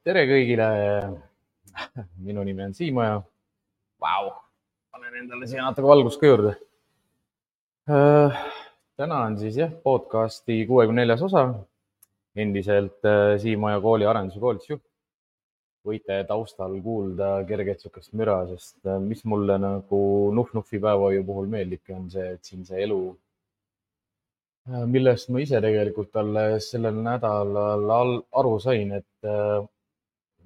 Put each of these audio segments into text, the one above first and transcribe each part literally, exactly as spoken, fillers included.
tere kõigile. Minu nimi on Siimaja. Vau, panen endale siia natuke valgust ka juurde. Täna on siis jah, podcasti kuuekümne neljas osa. Endiselt Siimaja kooli arendus- ja koolitusjuht. Võite taustal kuulda kerget sukast müra, sest mis mulle nagu Nuhv-Nuhvi päevahoiu puhul meeldibki, on see, et siin see elu, millest ma ise tegelikult alles sellel nädalal aru sain, et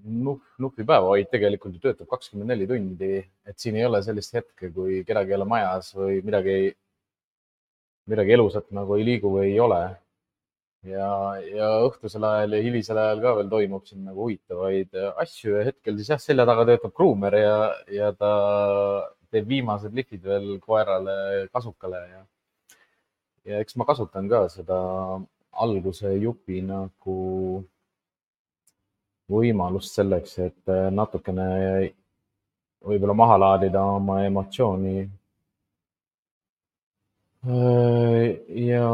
Nuhv-Nuhvi päevahoid tegelikult ju töötab kakskümmend neli tundi, et siin ei ole sellist hetke, kui kedagi ei ole majas või midagi, midagi elusat nagu ei liigu või ei ole. Ja, ja õhtusel ajal ja hilisel ajal ka veel toimub siin nagu huvitavaid asju ja hetkel siis jah, selja taga töötab Kruumer ja, ja ta teeb viimased lihvid veel koerale kasukale ja, ja eks ma kasutan ka seda alguse jupi nagu võimalust selleks, et natukene võib-olla maha laadida oma emotsiooni. Ja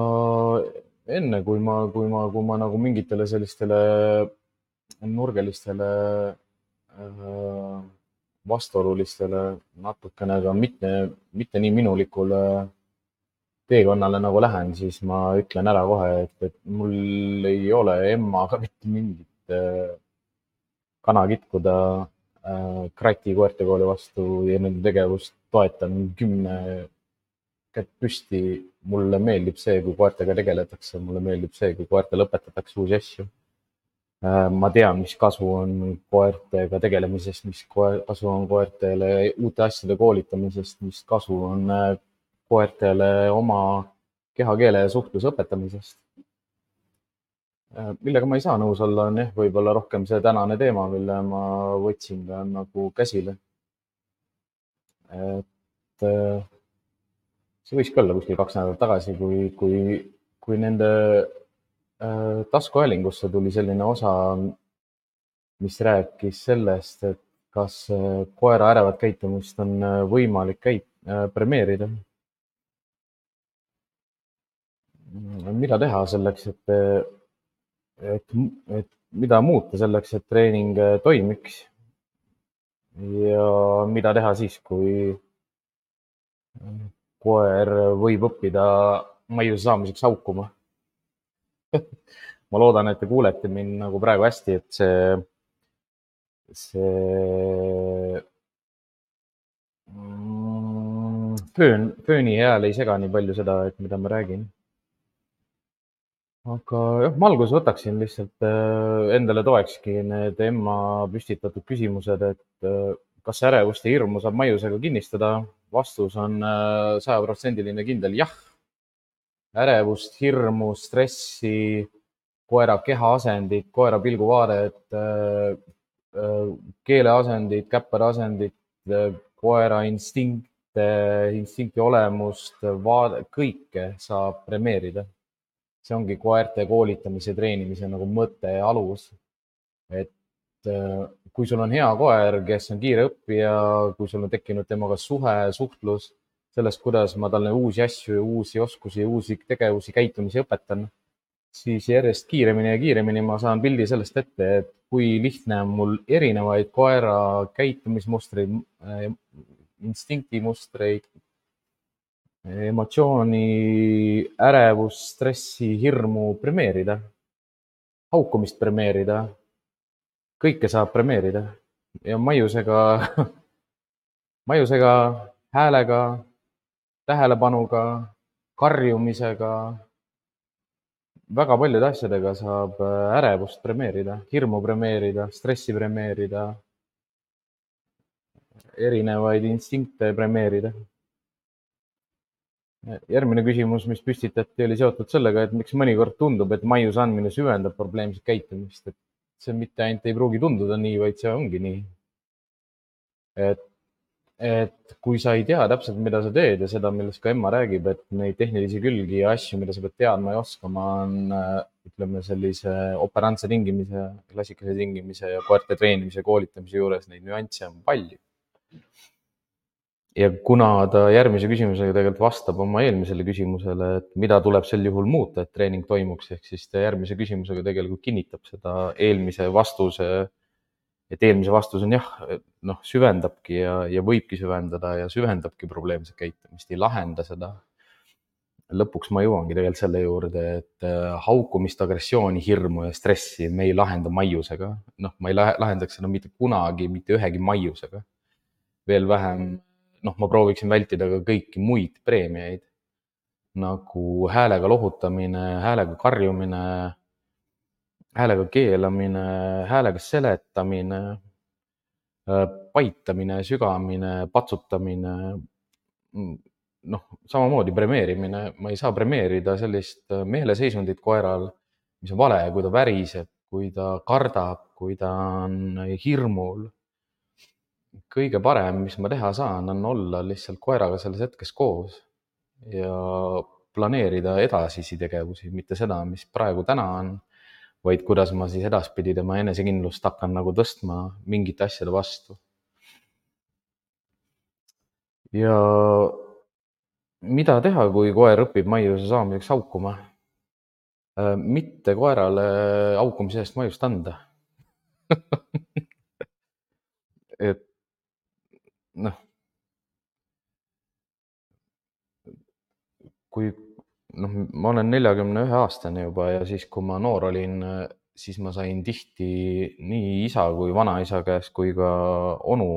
enne, kui ma, kui ma, kui ma nagu mingitele sellistele nurgelistele vastuolulistele natukene ka mitte, mitte nii minulikule teekonnale nagu lähen, siis ma ütlen ära kohe, et, et mul ei ole emmaga mitte mingit kana kitkuda Krati koertekooli vastu ja nende tegevust toetan kümne kätt püsti. Mulle meeldib see, kui koertega tegeletakse, mulle meeldib see, kui koertele õpetatakse uusi asju. Ma tean, mis kasu on koertega tegelemisest, mis kasu on koertele uute asjade koolitamisest, mis kasu on koertele oma kehakeele ja suhtluse õpetamisest. Millega ma ei saa nõus olla, on jah, võib-olla rohkem see tänane teema, mille ma võtsin ka nagu käsile. Et see võis ka olla kuskil kaks nädalat tagasi, kui, kui, kui nende äh, taskuhäälingusse tuli selline osa, mis rääkis sellest, et kas koera ärevat käitumist on võimalik käit, äh, premeerida. Mida teha selleks, et, et, et mida muuta selleks, et treening toimiks ja mida teha siis, kui koer võib õppida maiuse saamiseks haukuma. Ma loodan, et te kuulete mind nagu praegu hästi, et see, see föön, fööni hääl ei sega nii palju seda, et mida ma räägin. Aga jah, ma alguses võtaksin lihtsalt endale toekski need emma püstitatud küsimused, et kas ärevust ja hirmu saab maiusega kinnistada? Vastus on sajaprotsendiline kindel jah. Ärevust, hirmu, stressi, koera kehaasendid, koera pilguvaadet, keeleasendid, käpperasendid, koera instinkte, instinkti olemust, vaade, kõike saab premeerida. See ongi koerte koolitamise, treenimise nagu mõte ja alus. Et kui sul on hea koer, kes on kiire õppija, kui sul on tekkinud temaga suhe, suhtlus sellest, kuidas ma talle uusi asju, uusi oskusi, uusi tegevusi, käitumisi õpetan, siis järjest kiiremini ja kiiremini ma saan pildi sellest ette, et kui lihtne on mul erinevaid koera käitumismustreid, instinktimustreid, emotsiooni, ärevus, stressi, hirmu premeerida, haukumist premeerida. Kõike saab premeerida ja maiusega, maiusega, häälega, tähelepanuga, karjumisega, väga paljude asjadega saab ärevust premeerida, hirmu premeerida, stressi premeerida, erinevaid instinkte premeerida. Järgmine küsimus, mis püstitati, oli seotud sellega, et miks mõnikord tundub, et maiuse andmine süvendab probleemset käitumist, et see mitte ainult ei pruugi tunduda nii, vaid see ongi nii. Et, et kui sa ei tea täpselt, mida sa teed ja seda, millest ka emma räägib, et neid tehnilisi külgi ja asju, mida sa pead teadma ja oskama, on ütleme sellise operantse tingimise, klassikalise tingimise ja koerte treenimise ja koolitamise juures neid nüansse on palju. Ja kuna ta järgmise küsimusega tegelikult vastab oma eelmisele küsimusele, et mida tuleb sel juhul muuta, et treening toimuks, ehk siis ta järgmise küsimusega tegelikult kinnitab seda eelmise vastuse et eelmise vastus on jah, noh, süvendabki ja, ja võibki süvendada ja süvendabki probleemset käitumist, ei lahenda seda. Lõpuks ma jõuangi tegelikult selle juurde, et haukumist, agressiooni, hirmu ja stressi me ei lahenda maiusega. Noh, ma ei lahendaks seda mitte kunagi, mitte ühegi maiusega. Veel vähem, noh, ma prooviksin vältida ka kõiki muid preemiaid, nagu häälega lohutamine, häälega karjumine, häälega keelamine, häälega seletamine, paitamine, sügamine, patsutamine, noh, samamoodi premeerimine. Ma ei saa premeerida sellist meeleseisundit koeral, mis on vale, kui ta väriseb, kui ta kardab, kui ta on hirmul. Kõige parem, mis ma teha saan, on olla lihtsalt koeraga selles hetkes koos ja planeerida edasisi tegevusi, mitte seda, mis praegu täna on, vaid kuidas ma siis edaspidi tema enesekindlust hakkan nagu tõstma mingite asjade vastu. Ja mida teha, kui koer õpib maiuse saamiseks haukuma? Mitte koerale haukumise eest maiust anda. et noh, kui noh, ma olen neljakümne ühe aastane juba ja siis, kui ma noor olin, siis ma sain tihti nii isa kui vanaisa käest kui ka onu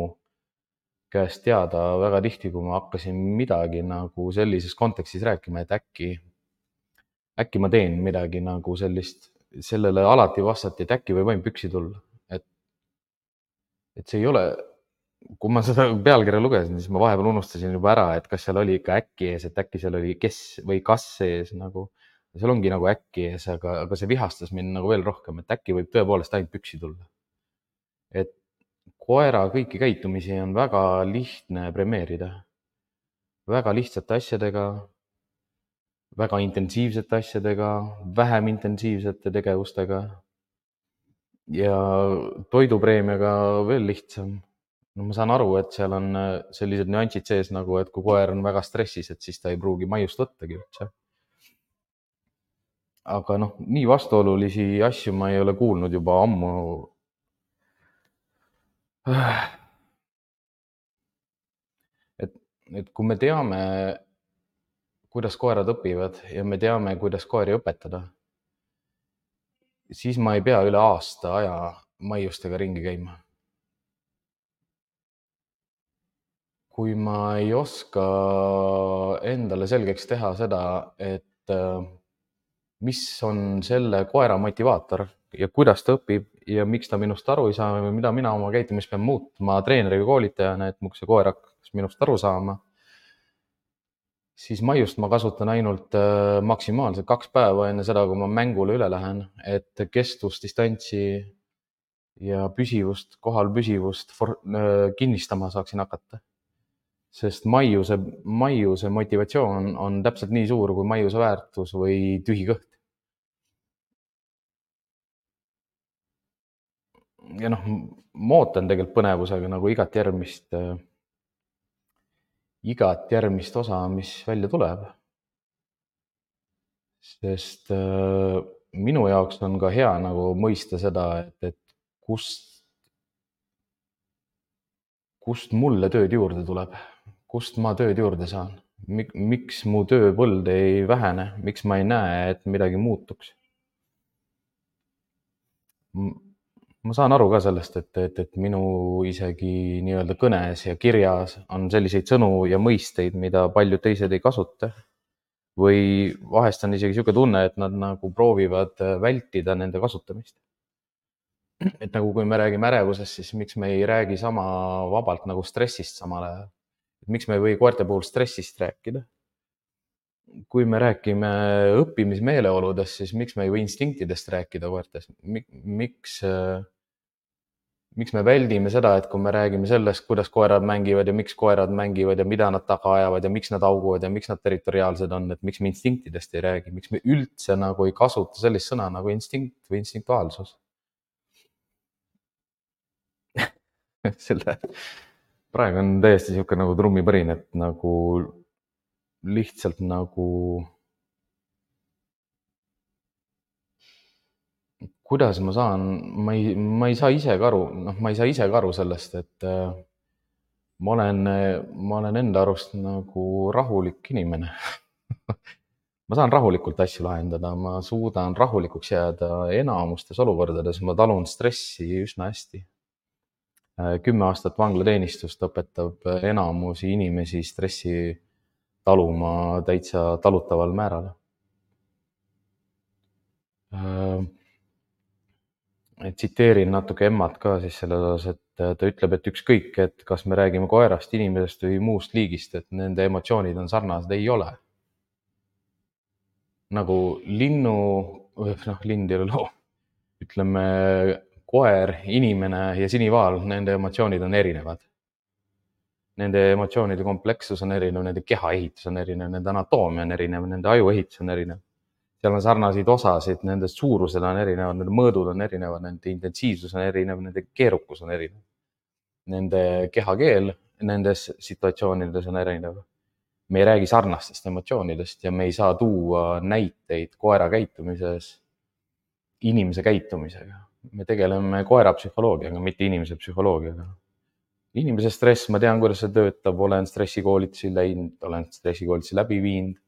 käest teada väga tihti, kui ma hakkasin midagi nagu sellises kontekstis rääkima, et äkki, äkki ma teen midagi nagu sellist, sellele alati vastati, et äkki võib ainult püksi tulla. Et, et see ei ole, kui ma seda pealkirja lugesin, siis ma vahepeal unustasin juba ära, et kas seal oli ikka äkki ees, et äkki seal oli kes või kas ees nagu. Seal ongi nagu äkki ees, aga, aga see vihastas mind nagu veel rohkem, et äkki võib tõepoolest ainult püksi tulla. Et koera kõiki käitumisi on väga lihtne premeerida. Väga lihtsate asjadega, väga intensiivsete asjadega, vähem intensiivsete tegevustega ja toidupreemiaga veel lihtsam. No ma saan aru, et seal on sellised nüansid sees nagu, et kui koer on väga stressis, et siis ta ei pruugi maiust võttagi üldse. Aga noh, nii vastuolulisi asju ma ei ole kuulnud juba ammu. Et, et kui me teame, kuidas koerad õpivad ja me teame, kuidas koeri õpetada, siis ma ei pea üle aasta aja maiustega ringi käima. Kui ma ei oska endale selgeks teha seda, et mis on selle koera motivaator ja kuidas ta õpib ja miks ta minust aru ei saa või mida mina oma käitumist pean muutma treeneri või koolitajana, et see koer hakkas minust aru saama, siis maiust ma kasutan ainult maksimaalselt kaks päeva enne seda, kui ma mängule üle lähen, et kestvust, distantsi ja püsivust, kohal püsivust kinnistama saaksin hakata. Sest maiuse, maiuse motivatsioon on täpselt nii suur kui maiuse väärtus või tühi kõht. Ja noh, ma ootan tegelikult põnevusega nagu igat järgmist, igat järgmist osa, mis välja tuleb. Sest minu jaoks on ka hea nagu mõista seda, et, et kust, kust mulle tööd juurde tuleb. Kust ma tööd juurde saan? Miks mu tööpõld ei vähene? Miks ma ei näe, et midagi muutuks? Ma saan aru ka sellest, et, et, et minu isegi nii-öelda kõnes ja kirjas on selliseid sõnu ja mõisteid, mida paljud teised ei kasuta. Või vahest on isegi niisugune tunne, et nad nagu proovivad vältida nende kasutamist. Et nagu kui me räägime ärevusest, siis miks me ei räägi sama vabalt nagu stressist samal ajal? Miks me ei või koerte puhul stressist rääkida? Kui me räägime õppimismeeleoludest, siis miks me ei või instinktidest rääkida koertes? Miks, miks me väldime seda, et kui me räägime sellest, kuidas koerad mängivad ja miks koerad mängivad ja mida nad taga ajavad ja miks nad hauguvad ja miks nad territoriaalsed on, et miks me instinktidest ei räägi, miks me üldse nagu ei kasuta sellist sõna nagu instinkt või instinktuaalsus? Selle praegu on täiesti niisugune nagu trummipõrin, et nagu lihtsalt nagu kuidas ma saan, ma ei, ma ei saa ise ka aru, noh, ma ei saa ise ka aru sellest, et äh, ma olen, ma olen enda arust nagu rahulik inimene. ma saan rahulikult asju lahendada, ma suudan rahulikuks jääda enamustes olukordades, ma talun stressi üsna hästi. Kümme aastat vanglateenistust õpetab enamusi inimesi stressi taluma täitsa talutaval määral. Tsiteerin natuke emmat ka siis selles osas, et ta ütleb, et ükskõik, et kas me räägime koerast, inimesest või muust liigist, et nende emotsioonid on sarnased, ei ole. Nagu linnu, noh, lind ei ole loo, ütleme koer, inimene ja sinivaal, nende emotsioonid on erinevad. Nende emotsioonide komplekssus on erinev, nende kehaehitus on erinev, nende anatoomia on erinev, nende ajuehitus on erinev. Seal on sarnaseid osasid, nende suurused on erinevad, nende mõõdud on erinevad, nende intensiivsus on erinev, nende keerukus on erinev. Nende kehakeel nendes situatsioonides on erinev. Me ei räägi sarnastest emotsioonidest ja me ei saa tuua näiteid koera käitumises inimese käitumisega. Me tegeleme koera psühholoogiaga, mitte inimese psühholoogiaga. Inimese stress, ma tean, kuidas see töötab, olen stressikoolitusi läinud, olen stressikoolitusi läbi viinud.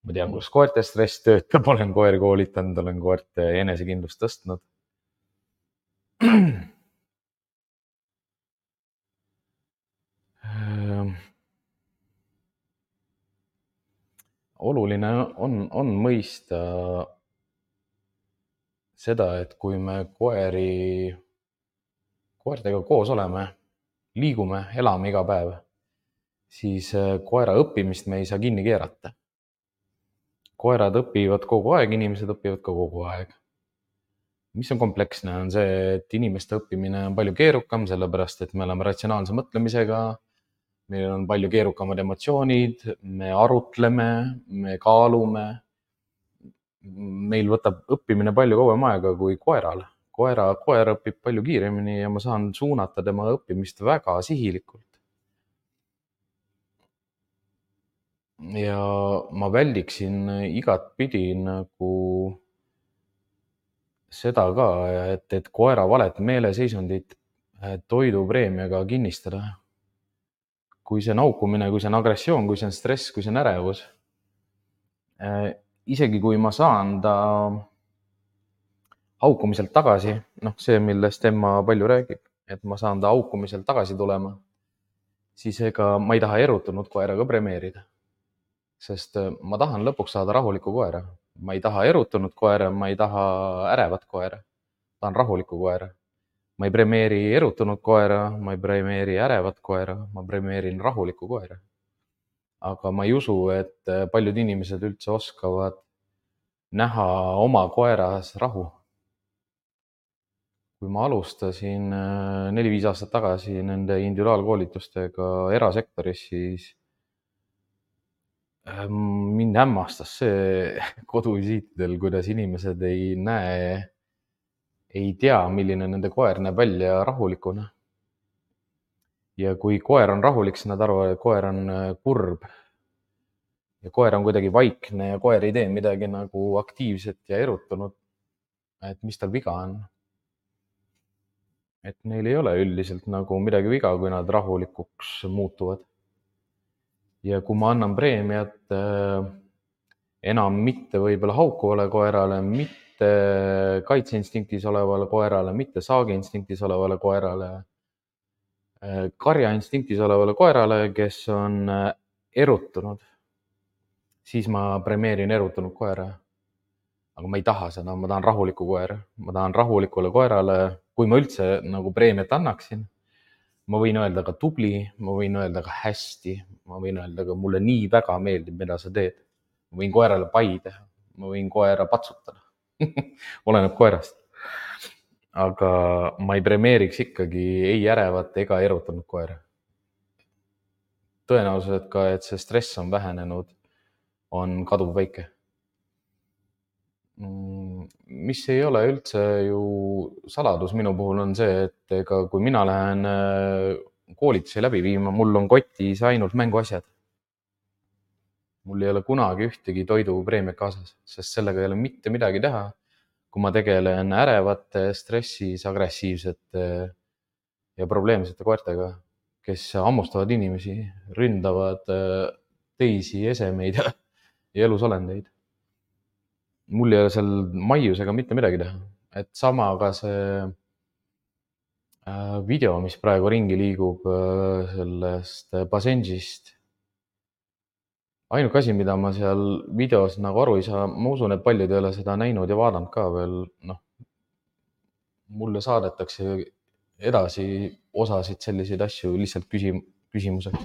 Ma tean, kuidas koerte stress töötab, olen koeri koolitanud, olen koerte enesekindlust tõstnud. Oluline on, on mõista seda, et kui me koeri, koertega koos oleme, liigume, elame iga päev, siis koera õppimist me ei saa kinni keerata. Koerad õpivad kogu aeg, inimesed õpivad ka kogu aeg. Mis on kompleksne, on see, et inimeste õppimine on palju keerukam, sellepärast et me oleme ratsionaalse mõtlemisega, meil on palju keerukamad emotsioonid, me arutleme, me kaalume. Meil võtab õppimine palju kauem aega kui koeral. Koera, koer õpib palju kiiremini ja ma saan suunata tema õppimist väga sihilikult. Ja ma väldiksin igat pidi nagu seda ka, et, et koera valet meeleseisundit toidupreemiaga kinnistada. Kui see on haukumine, kui see on agressioon, kui see on stress, kui see on ärevus. Isegi kui ma saan ta haukumiselt tagasi, noh see, millest Emma palju räägib, et ma saan ta haukumiselt tagasi tulema, siis ega ma ei taha erutunud koeraga premeerida. Sest ma tahan lõpuks saada rahuliku koera. Ma ei taha erutunud koera, ma ei taha ärevat koera. Tahan rahuliku koera. Ma ei premeeri erutunud koera, ma ei premeeri ärevat koera, ma premeerin rahuliku koera. Aga ma ei usu, et paljud inimesed üldse oskavad näha oma koeras rahu. Kui ma alustasin neli-viis aastat tagasi nende individuaalkoolitustega erasektoris, siis mind hämmastas see koduvisiitidel, kuidas inimesed ei näe, ei tea, milline nende koer näeb välja rahulikuna. Ja kui koer on rahulik, siis nad arvavad, et koer on kurb. Ja koer on kuidagi vaikne ja koer ei tee midagi nagu aktiivset ja erutunud. Et mis tal viga on. Et neil ei ole üldiselt nagu midagi viga, kui nad rahulikuks muutuvad. Ja kui ma annan preemiat enam mitte võib-olla haukuvale koerale, mitte kaitseinstinktis olevale koerale, mitte saagiinstinktis olevale koerale, karjainstinktis olevale koerale, kes on erutunud, siis ma premeerin erutunud koera. Aga ma ei taha seda, ma tahan rahuliku koera. Ma tahan rahulikule koerale, kui ma üldse nagu preemiat annaksin, ma võin öelda ka tubli, ma võin öelda ka hästi, ma võin öelda ka mulle nii väga meeldib, mida sa teed. Ma võin koerale pai teha, ma võin koera patsutada. Oleneb koerast. Aga ma ei premeeriks ikkagi ei ärevat ega erutunud koera. Tõenäoliselt ka, et see stress on vähenenud, on kaduv väike. Mis ei ole üldse ju saladus minu puhul on see, et ega kui mina lähen koolitusi läbi viima, mul on kotis ainult mänguasjad. Mul ei ole kunagi ühtegi toidupreemiat kaasas, sest sellega ei ole mitte midagi teha. kui ma tegelen ärevate, stressis, agressiivsete ja probleemsete koertega, kes hammustavad inimesi, ründavad teisi esemeid ja elusolendeid. Mul ei ole seal maiusega mitte midagi teha. Et sama ka see video, mis praegu ringi liigub sellest Basenjist. Ainuke asi, mida ma seal videos nagu aru ei saa, ma usun, et paljud ei ole seda näinud ja vaadanud ka veel, noh, mulle saadetakse edasi osasid selliseid asju lihtsalt küsim- küsimuseks,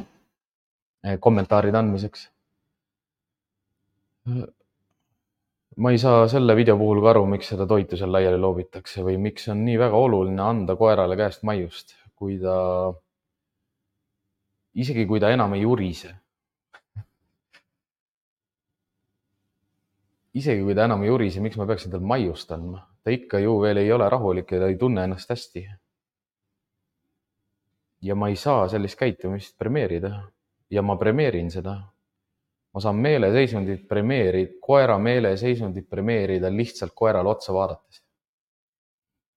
kommentaaride andmiseks. Ma ei saa selle video puhul ka aru, miks seda toitu seal laiali loobitakse või miks on nii väga oluline anda koerale käest maiust, kui ta, isegi kui ta enam ei urise. Isegi kui ta enam ei urise, miks ma peaksin tal maiust andma? Ta ikka ju veel ei ole rahulik ja ta ei tunne ennast hästi. Ja ma ei saa sellist käitumist premeerida. Ja ma premeerin seda. Ma saan meeleseisundit premeerida, koera meeleseisundit premeerida lihtsalt koerale otsa vaadates.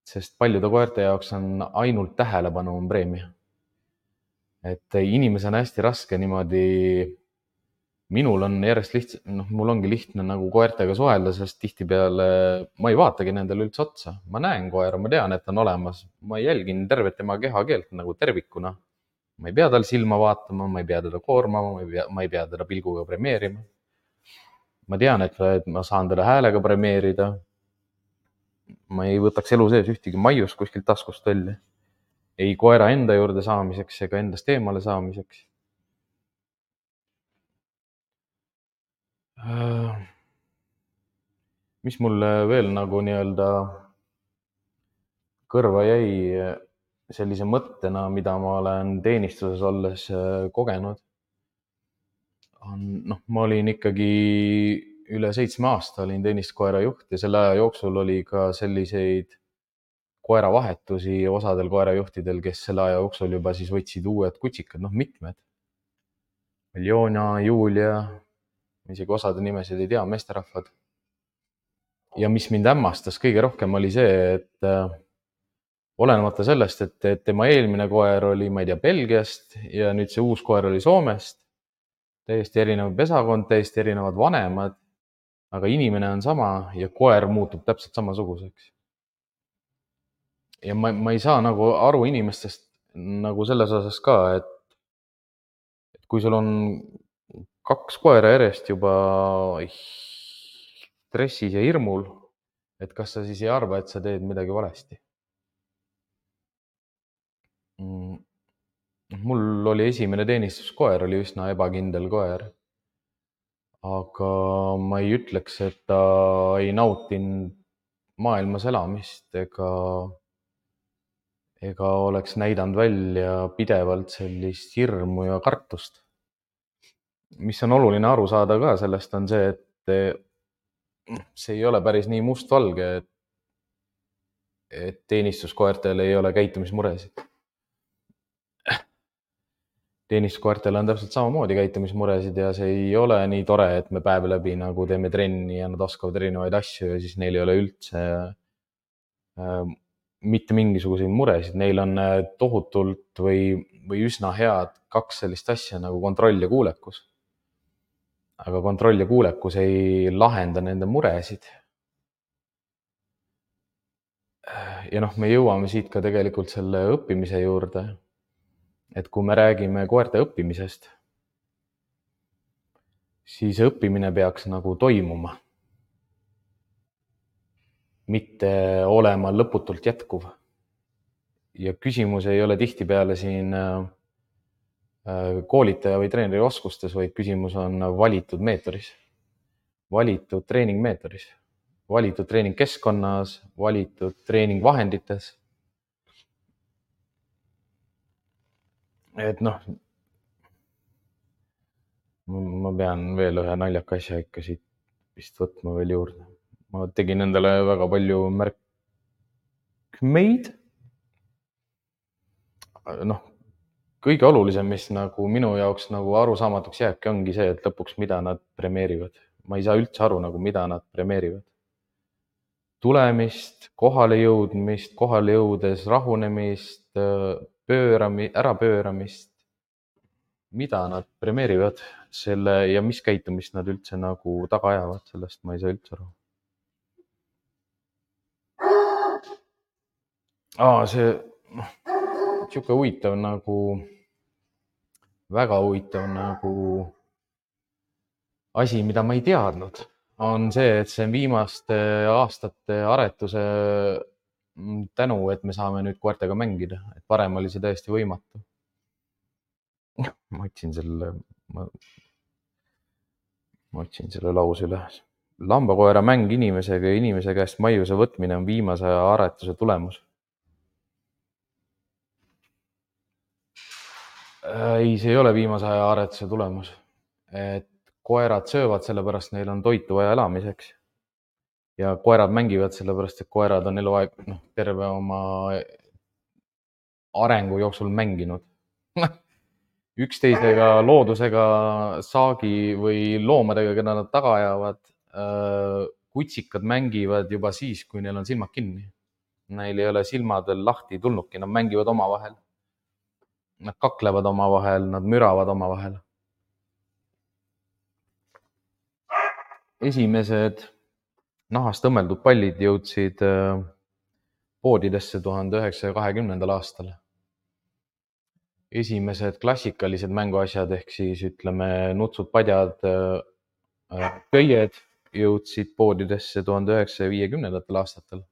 Sest paljude koerte jaoks on ainult tähelepanu on preemia. Et inimese on hästi raske niimoodi, minul on järjest lihtsalt, noh, mul ongi lihtne nagu koertega suhelda, sest tihtipeale ma ei vaatagi nendele üldse otsa. Ma näen koera, ma tean, et on olemas. Ma jälgin tervet tema kehakeelt nagu tervikuna. Ma ei pea tal silma vaatama, ma ei pea teda koormama, ma ei pea, ma ei pea teda pilguga premeerima. Ma tean, et ma saan teda häälega premeerida. Ma ei võtaks elu sees ühtegi maiust kuskilt taskust välja. Ei koera enda juurde saamiseks ega endast eemale saamiseks. Mis mulle veel nagu nii-öelda kõrva jäi sellise mõttena, mida ma olen teenistuses olles kogenud, on, noh, ma olin ikkagi üle seitsme aasta olin teenistuskoera juht ja selle aja jooksul oli ka selliseid koeravahetusi osadel koerajuhtidel, kes selle aja jooksul juba siis võtsid uued kutsikad, noh, mitmed. Miljona, Julia, isegi osade nimesid ei tea, meesterahvad. Ja mis mind hämmastas kõige rohkem oli see, et olenemata sellest, et, et tema eelmine koer oli, ma ei tea, Belgiast ja nüüd see uus koer oli Soomest, täiesti erinev pesakond, täiesti erinevad vanemad, aga inimene on sama ja koer muutub täpselt samasuguseks. Ja ma, ma ei saa nagu aru inimestest nagu selles osas ka, et, et kui sul on kaks koera järjest juba stressis ja hirmul, et kas sa siis ei arva, et sa teed midagi valesti. Mul oli esimene teenistuskoer, oli üsna ebakindel koer. Aga ma ei ütleks, et ta ei nautinud maailmas elamist ega, ega oleks näidanud välja pidevalt sellist hirmu ja kartust. Mis on oluline aru saada ka sellest on see, et see ei ole päris nii mustvalge, et, et teenistuskoertel ei ole käitumismuresid. Teenistuskoertel on täpselt samamoodi käitumismuresid ja see ei ole nii tore, et me päev läbi nagu teeme trenni ja nad oskavad erinevaid asju ja siis neil ei ole üldse äh, mitte mingisuguseid muresid. Neil on tohutult või, või üsna head kaks sellist asja nagu kontroll ja kuulekus. Aga kontroll ja kuulekus ei lahenda nende muresid. Ja noh, me jõuame siit ka tegelikult selle õppimise juurde. Et kui me räägime koerte õppimisest, siis õppimine peaks nagu toimuma. Mitte olema lõputult jätkuv. Ja küsimus ei ole tihtipeale siin koolitaja või treeneri oskustes, vaid küsimus on valitud meetodis. Valitud treeningmeetodis. Valitud treeningkeskkonnas, valitud treeningvahendites. Et noh, ma pean veel ühe naljaka asja ikka siit vist võtma veel juurde. Ma tegin endale väga palju märkmeid. Noh, kõige olulisem, mis nagu minu jaoks nagu arusaamatuks jääbki, ongi see, et lõpuks mida nad premeerivad. Ma ei saa üldse aru, nagu mida nad premeerivad. tulemist, kohale jõudmist, kohale jõudes rahunemist, pöörami, ärapööramist. Mida nad premeerivad selle ja mis käitumist nad üldse nagu taga ajavad, sellest ma ei saa üldse aru. Aa, see, noh, sihuke huvitav nagu, väga huvitav nagu asi, mida ma ei teadnud, on see, et see on viimaste aastate aretuse tänu, et me saame nüüd koertega mängida, et varem oli see täiesti võimatu. Ma otsin selle, ma, ma otsin selle lause üles. Lambakoera mäng inimesega ja inimese käest maiuse võtmine on viimase aja aretuse tulemus. Ei, see ei ole viimase aja aretuse tulemus. Et koerad söövad sellepärast, neil on toitu vaja elamiseks. Ja koerad mängivad sellepärast, et koerad on eluaeg, noh, terve oma arengu jooksul mänginud. Üksteisega, loodusega, saagi või loomadega, keda nad taga ajavad. Kutsikad mängivad juba siis, kui neil on silmad kinni. Neil ei ole silmadel lahti tulnudki, nad mängivad oma vahel. Nad kaklevad oma vahel, nad müravad oma vahel. Esimesed nahast õmmeldud pallid jõudsid poodidesse tuhande üheksasaja kahekümnendal aastal. Esimesed klassikalised mänguasjad ehk siis ütleme nutsud, padjad, köied jõudsid poodidesse tuhande üheksasaja viiekümnendatel aastatel.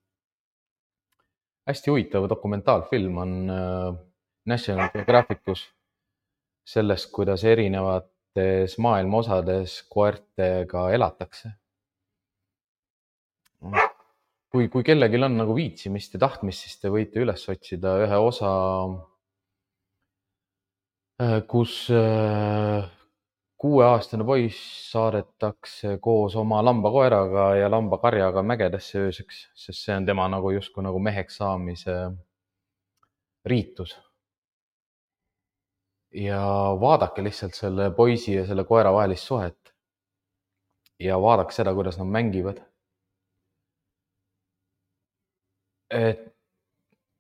Hästi huvitav dokumentaalfilm on National Geographicus sellest, kuidas erinevates maailma osades koertega elatakse. Kui, kui kellelgi on nagu viitsimist ja tahtmist, siis te võite üles otsida ühe osa, kus kuueaastane poiss saadetakse koos oma lambakoeraga ja lambakarjaga mägedesse ööseks, sest see on tema nagu justkui nagu meheks saamise riitus. Ja vaadake lihtsalt selle poisi ja selle koera vahelist suhet ja vaadake seda, kuidas nad mängivad. Et,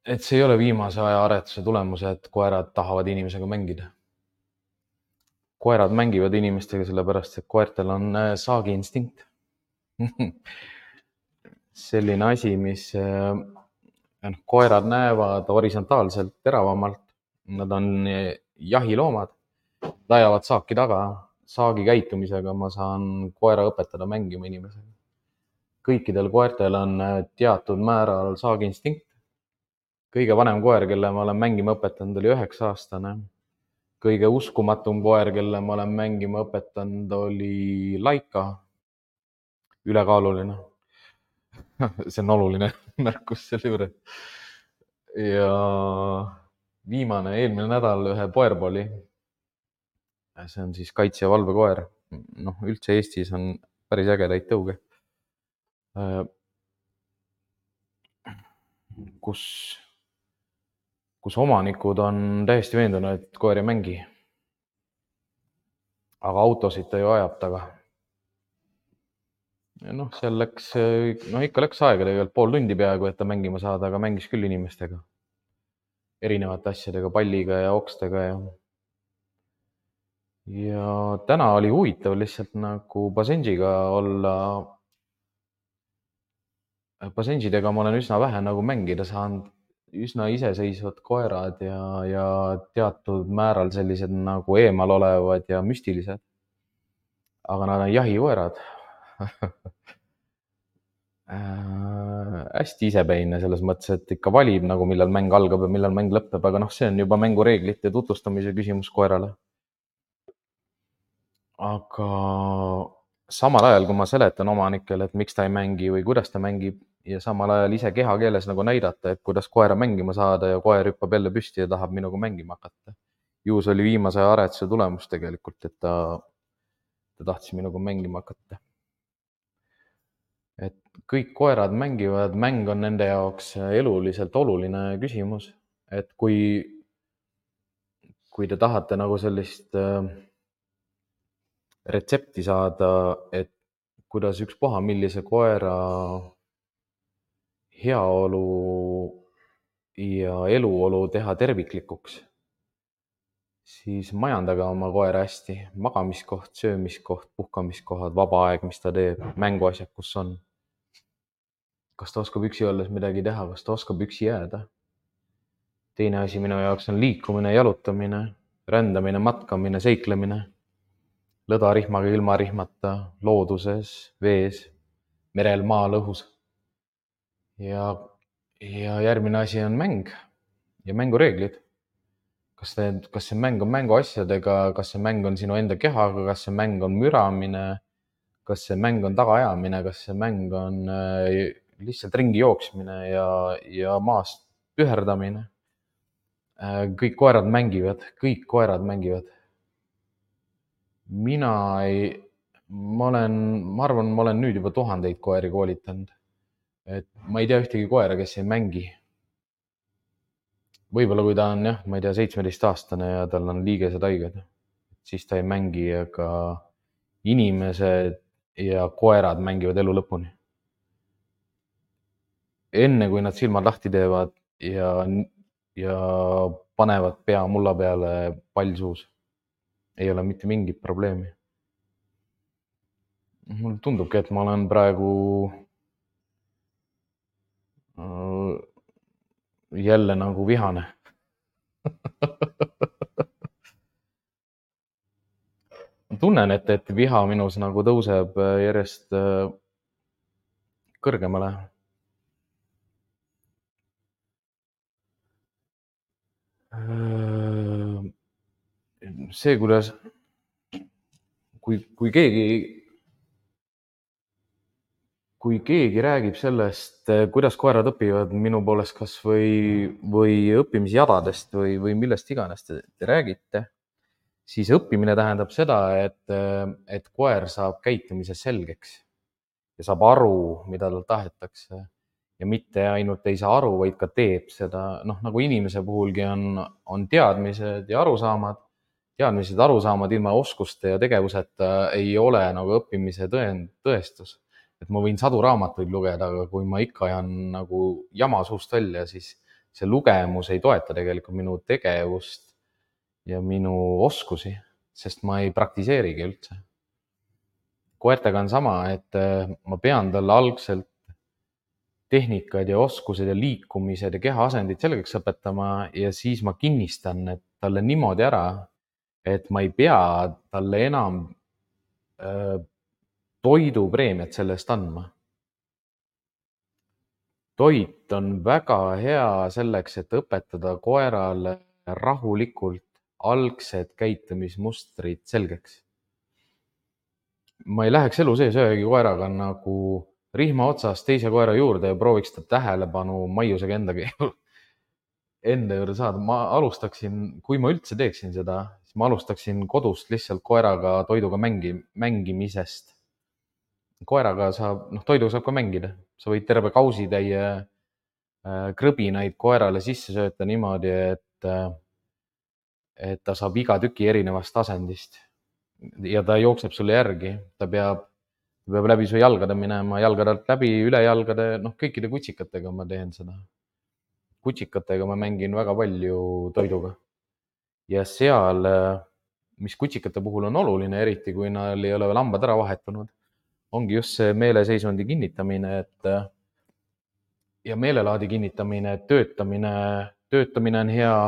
et see ei ole viimase aja aretuse tulemus, et koerad tahavad inimesega mängida. Koerad mängivad inimestega sellepärast, et koertel on saagi instinkt. Selline asi, mis koerad näevad horisontaalselt teravamalt. Nad on jahiloomad, ajavad saaki taga. Saagi käitumisega ma saan koera õpetada mängima inimesega. Kõikidel koertel on teatud määral saagi instinkt. Kõige vanem koer, kelle ma olen mängima õpetanud, oli üheksa aastane. Kõige uskumatum koer, kelle ma olen mängima õpetanud, oli Laika. Ülekaaluline. See on oluline märkus selle juurde. Ja viimane, eelmine nädal ühe Boerboli. See on siis kaitse- ja valvekoer. Noh, üldse Eestis on päris ägedaid tõuge. Kus, kus omanikud on täiesti veendunud, et koer ei mängi. Aga autosid ta ju ajab taga. Ja noh, seal läks, noh ikka läks aega tegelikult pool tundi peaaegu, et ta mängima saada, aga mängis küll inimestega. Erinevate asjadega, palliga ja okstega ja... Ja täna oli huvitav lihtsalt nagu Basenjiga olla. Basenjidega ma olen üsna vähe nagu mängida saanud, üsna iseseisvad koerad ja, ja teatud määral sellised nagu eemal olevad ja müstilised. Aga nad on jahikoerad. Hästi isepäine selles mõttes, et ikka valib nagu millal mäng algab ja millal mäng lõpeb, aga noh, see on juba mängureeglite tutvustamise küsimus koerale. Aga samal ajal, kui ma seletan omanikele, et miks ta ei mängi või kuidas ta mängib ja samal ajal ise kehakeeles nagu näidata, et kuidas koera mängima saada ja koer hüppab jälle püsti ja tahab minuga mängima hakata. Ju see oli viimase aretuse tulemus tegelikult, et ta, ta tahtis minuga mängima hakata. Et kõik koerad mängivad, mäng on nende jaoks eluliselt oluline küsimus. Et kui, kui te tahate nagu sellist retsepti saada, et kuidas ükspuha millise koera heaolu ja eluolu teha terviklikuks, siis majandage oma koera hästi. Magamiskoht, söömiskoht, puhkamiskohad, vaba aeg, mis ta teeb, mänguasjad, kus on. Kas ta oskab üksi olles midagi teha, kas ta oskab üksi jääda. Teine asi minu jaoks on liikumine, jalutamine, rändamine, matkamine, seiklemine. Lõdarihmaga, ilma rihmata, looduses, vees, merel, maal, õhus. Ja, ja järgmine asi on mäng ja mängureeglid. Kas, need, kas see mäng on mänguasjadega, kas see mäng on sinu enda kehaga, kas see mäng on müramine, kas see mäng on tagaajamine, kas see mäng on lihtsalt ringi jooksmine ja, ja maast püherdamine. Kõik koerad mängivad, kõik koerad mängivad. Mina ei, ma olen, ma arvan, ma olen nüüd juba tuhandeid koeri koolitanud. Et ma ei tea ühtegi koera, kes ei mängi. Võib-olla kui ta on, jah, ma ei tea, seitsmeteist aastane ja tal on liigesed haiged, siis ta ei mängi, aga inimesed ja koerad mängivad elu lõpuni. Enne kui nad silmad lahti teevad ja, ja panevad pea mulla peale pall suus, ei ole mitte mingit probleemi. Mulle tundubki, et ma olen praegu jälle nagu vihane. Ma tunnen, et, et viha minus nagu tõuseb järjest kõrgemale. See, kuidas, kui, kui keegi, kui keegi räägib sellest, kuidas koerad õpivad minu poolest kas või, või õppimisjadadest või, või millest iganes te, te räägite, siis õppimine tähendab seda, et, et koer saab käitumise selgeks ja saab aru, mida tal tahetakse. Ja mitte ainult ei saa aru, vaid ka teeb seda. Noh, nagu inimese puhulgi on, on teadmised ja arusaamad. Teadmised, arusaamad ilma oskuste ja tegevuseta ei ole nagu õppimise tõend, tõestus. Et ma võin sadu raamatuid lugeda, aga kui ma ikka ajan nagu jama suust välja, siis see lugemus ei toeta tegelikult minu tegevust ja minu oskusi, sest ma ei praktiseerigi üldse. Koertega on sama, et ma pean talle algselt tehnikad ja oskused ja liikumised ja kehaasendid selgeks õpetama ja siis ma kinnistan et talle niimoodi ära, et ma ei pea talle enam äh, toidupreemiat selle eest andma. Toit on väga hea selleks, et õpetada koerale rahulikult algsed käitumismustrid selgeks. Ma ei läheks elu sees ühegi koeraga nagu rihma otsas teise koera juurde ja prooviks ta tähelepanu maiusega endagi enda juurde saada. Ma alustaksin, kui ma üldse teeksin seda, siis ma alustaksin kodust lihtsalt koeraga toiduga mängi, mängimisest. Koeraga saab, noh, toiduga saab ka mängida. Sa võid terve kausitäie krõbinaid koerale sisse sööta niimoodi, et, et ta saab iga tüki erinevast asendist. Ja ta jookseb sulle järgi, ta peab, ta peab läbi su jalgade minema, jalgadelt läbi, üle jalgade, noh, kõikide kutsikatega ma teen seda. Kutsikatega ma mängin väga palju toiduga. Ja seal, mis kutsikate puhul on oluline, eriti kui neil ei ole veel hambad ära vahetunud, ongi just see meeleseisundi kinnitamine, et ja meelelaadi kinnitamine, töötamine, töötamine on hea,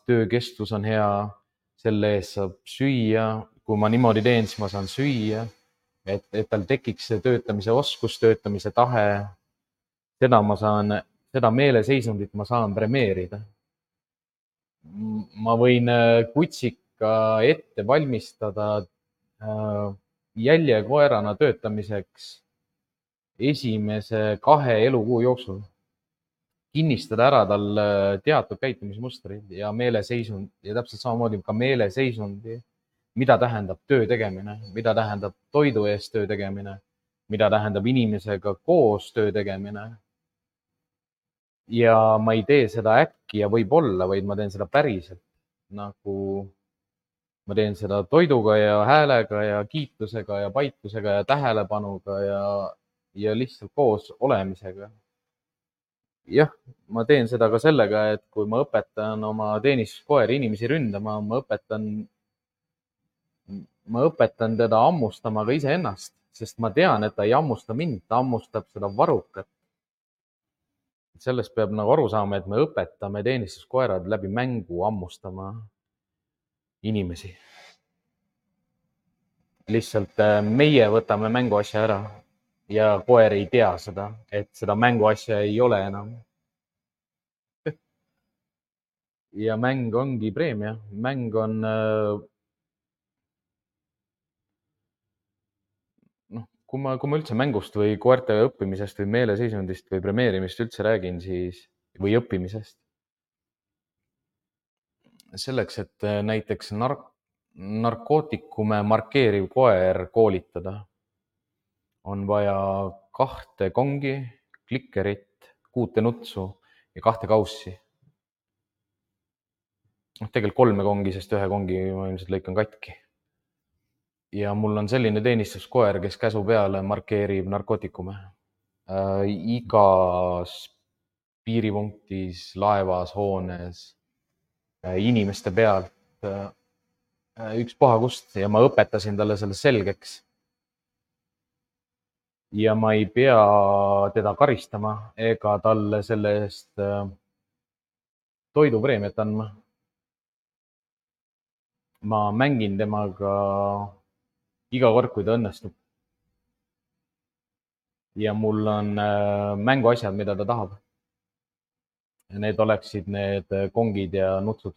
töökestus on hea, selle eest saab süüa. Kui ma niimoodi teen, siis ma saan süüa, et, et tal tekiks see töötamise oskus, töötamise tahe. Seda ma saan, seda meeleseisundit ma saan premeerida. Ma võin kutsika ette valmistada jäljekoerana töötamiseks esimese kahe elukuu jooksul. Kinnistada ära tal teatud käitumismustrid ja meeleseisund ja täpselt samamoodi ka meeleseisundi. Mida tähendab töö tegemine, mida tähendab toidu eest töö tegemine, mida tähendab inimesega koos töö tegemine. Ja ma ei tee seda äkki ja võib-olla, vaid ma teen seda päriselt. Nagu ma teen seda toiduga ja häälega ja kiitusega ja paitlusega ja tähelepanuga ja, ja lihtsalt koos olemisega. jah, ma teen seda ka sellega, et kui ma õpetan oma teenistuskoeri inimesi ründama, ma õpetan, ma õpetan teda hammustama ka iseennast, sest ma tean, et ta ei hammusta mind, ta hammustab seda varrukat. Sellest peab nagu aru saama, et me õpetame teenistuskoerad läbi mängu hammustama inimesi. Lihtsalt meie võtame mänguasja ära ja koer ei tea seda, et seda mänguasja ei ole enam. Ja mäng ongi preemia. Mäng on, noh, kui ma, kui ma üldse mängust või koerte õppimisest või meeleseisundist või premeerimist üldse räägin, siis, või õppimisest. Selleks, et näiteks nark, narkootikume markeeriv koer koolitada, on vaja kahte kongi, klikkerit, kuute nutsu ja kahte kaussi. noh, tegelikult kolme kongi, sest ühe kongi ma ilmselt lõikan katki. Ja mul on selline teenistuskoer, kes käsu peale markeerib narkootikume. Äh, igas piiripunktis, laevas, hoones, äh, inimeste pealt, äh, ükspuha kust, ja ma õpetasin talle selle selgeks. Ja ma ei pea teda karistama ega talle selle eest toidupreemiat andma. Ma mängin temaga iga kord, kui ta õnnestub. Ja mul on mänguasjad, mida ta tahab. Ja need oleksid need kongid ja nutsud.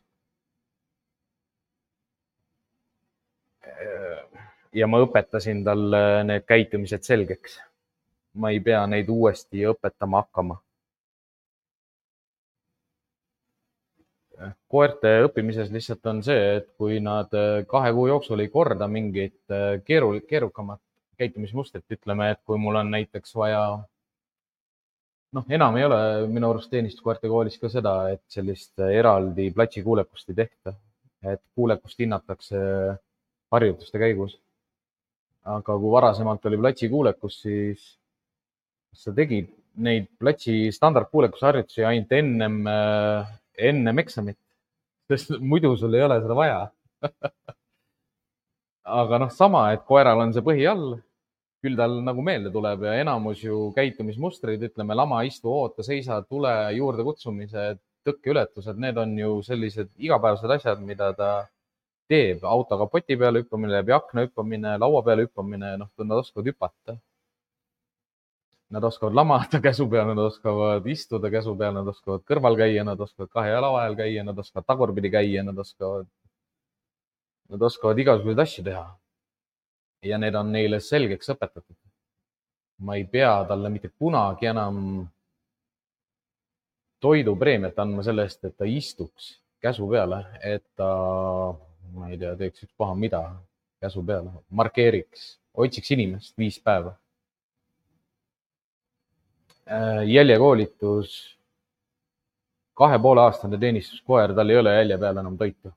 Ja ma õpetasin talle need käitumised selgeks. Ma ei pea neid uuesti õpetama hakkama. Koerte õppimises lihtsalt on see, et kui nad kahe kuu jooksul ei korda mingit keeru, keerukamat käitumismustrit, ütleme, et kui mul on näiteks vaja, noh, enam ei ole minu arust teenistuskoerte koolis ka seda, et sellist eraldi platsi kuulekust ei tehta, et kuulekust hinnatakse harjutuste käigus. Aga kui varasemalt oli platsi kuulekus, siis sa tegid neid platsi standardkuulekuse harjutusi ainult ennem, ennem eksamit, sest muidu sul ei ole seda vaja. Aga noh, sama, et koeral on see põhi all, küll tal nagu meelde tuleb ja enamus ju käitumismustrid, ütleme, lama, istu, oota, seisa, tule, juurde kutsumised, tõkkeületused, need on ju sellised igapäevased asjad, mida ta teeb. Auto kapoti peale hüppamine, läbi akna hüppamine, laua peale hüppamine, noh, nad oskavad hüpata. Nad oskavad lamada käsu peal, nad oskavad istuda käsu peal, nad oskavad kõrval käia, nad oskavad kahe jala vahel käia, nad oskavad tagurpidi käia, nad oskavad, nad oskavad igasuguseid asju teha. Ja need on neile selgeks õpetatud. Ma ei pea talle mitte kunagi enam toidupreemiat andma selle eest, et ta istuks käsu peale, et ta, ma ei tea, teeks üks paha mida käsu peale, markeeriks, otsiks inimest viis päeva. Jäljekoolitus, kahe poole aastane teenistuskoer, tal ei ole jälje peal enam toitu.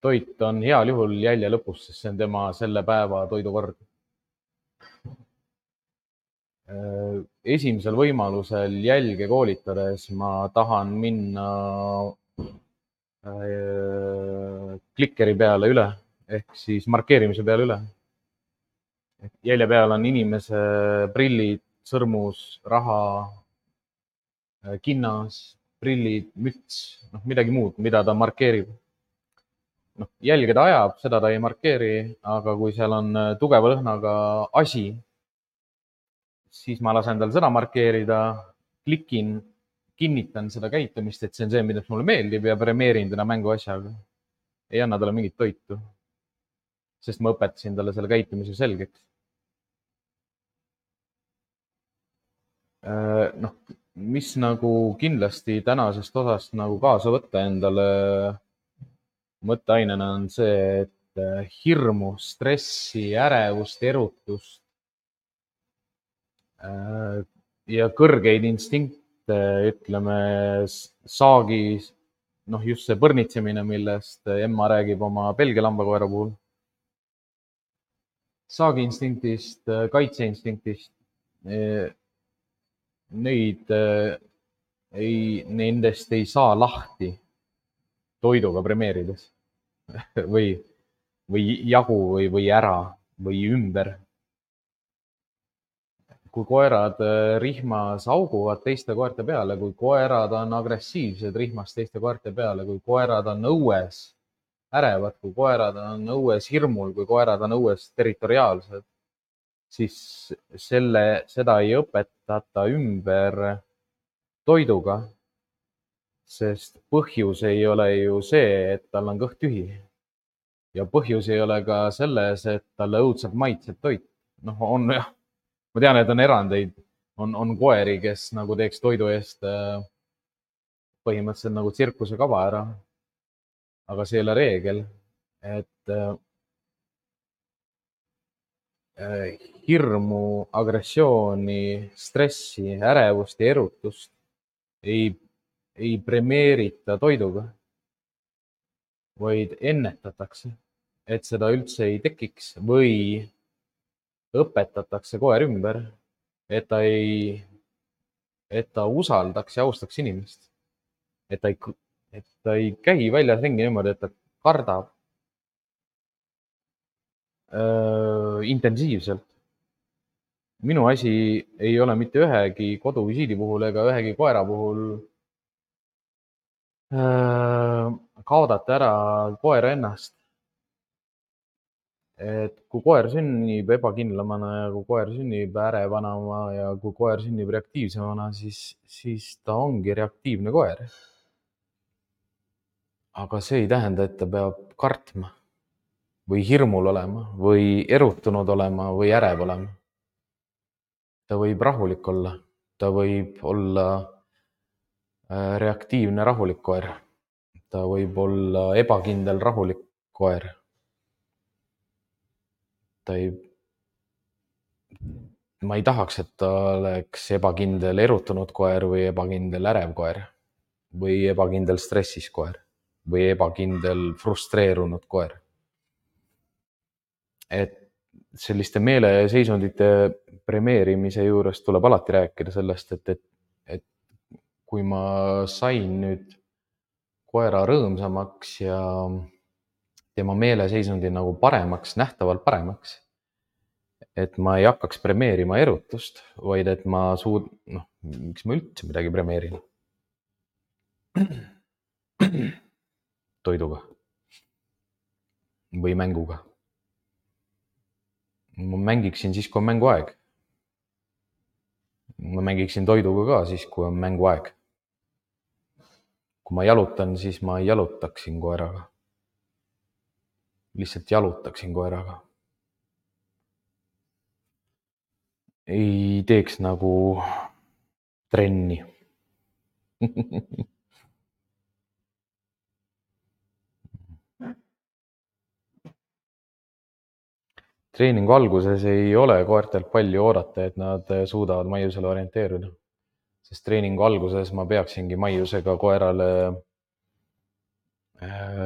Toit on heal juhul jälje lõpus, sest see on tema selle päeva toidukord. Esimesel võimalusel jälge koolitades ma tahan minna klikkeri peale üle, ehk siis markeerimise peale üle. Jälje peal on inimese prillid, sõrmus, raha, kinnas, prillid, müts, noh, midagi muud, mida ta markeerib. Noh, jälge ta ajab, seda ta ei markeeri, aga kui seal on tugeva lõhnaga asi, siis ma lasen tal seda markeerida, klikin, kinnitan seda käitumist, et see on see, mida mulle meeldib ja premeerin teda mänguasjaga. Ei anna talle mingit toitu, sest ma õpetasin talle selle käitumise selgeks. Noh, mis nagu kindlasti tänasest osast nagu kaasa võtta endale mõtteainena on see, et hirmu, stressi, ärevust, erutust ja kõrgeid instinkte, ütleme, saagis, noh, just see põrnitsemine, millest Emma räägib oma Belgia lambakoera puhul, saagi instinktist, kaitseinstinktist, neid ei, nendest ei saa lahti toiduga premeerides või, või jagu või, või ära või ümber. Kui koerad rihmas auguvad teiste koerte peale, kui koerad on agressiivsed rihmas teiste koerte peale, kui koerad on õues ärevad, kui koerad on õues hirmul, kui koerad on õues territoriaalsed, siis selle, seda ei õpetata ümber toiduga, sest põhjus ei ole ju see, et tal on kõht tühi. Ja põhjus ei ole ka selles, et talle õudselt maitseb toit. noh, on jah, ma tean, et on erandeid, on, on koeri, kes nagu teeks toidu eest põhimõtteliselt nagu tsirkuse kava ära. aga see ei ole reegel, et äh, hirmu, agressiooni, stressi, ärevust ja erutust ei, ei premeerita toiduga, vaid ennetatakse, et seda üldse ei tekiks või õpetatakse koer ümber, et ta ei, et ta usaldaks ja austaks inimest. et ta ei, et ta ei käi väljas ringi niimoodi, et ta kardab öö, intensiivselt. minu asi ei ole mitte ühegi koduvisiidi puhul ega ühegi koera puhul öö, kaotada ära koera ennast. et kui koer sünnib ebakindlamana ja kui koer sünnib ärevana ja kui koer sünnib reaktiivsemana, siis, siis ta ongi reaktiivne koer. aga see ei tähenda, et ta peab kartma või hirmul olema või erutunud olema või ärev olema. ta võib rahulik olla, ta võib olla reaktiivne rahulik koer, ta võib olla ebakindel rahulik koer. ta ei, ma ei tahaks, et ta oleks ebakindel erutunud koer või ebakindel ärev koer või ebakindel stressis koer või ebakindel frustreerunud koer. et selliste meeleseisundite premeerimise juures tuleb alati rääkida sellest, et, et, et kui ma sain nüüd koera rõõmsamaks ja tema meeleseisundi nagu paremaks, nähtavalt paremaks, et ma ei hakkaks premeerima erutust, vaid et ma suud-, noh, miks ma üldse midagi premeerin? toiduga või mänguga. ma mängiksin siis, kui on mänguaeg. ma mängiksin toiduga ka siis, kui on mänguaeg. kui ma jalutan, siis ma jalutaksin koeraga. lihtsalt jalutaksin koeraga. ei teeks nagu trenni. treeningu alguses ei ole koertelt palju oodata, et nad suudavad maiusele orienteeruda. sest treeningu alguses ma peaksingi maiusega koerale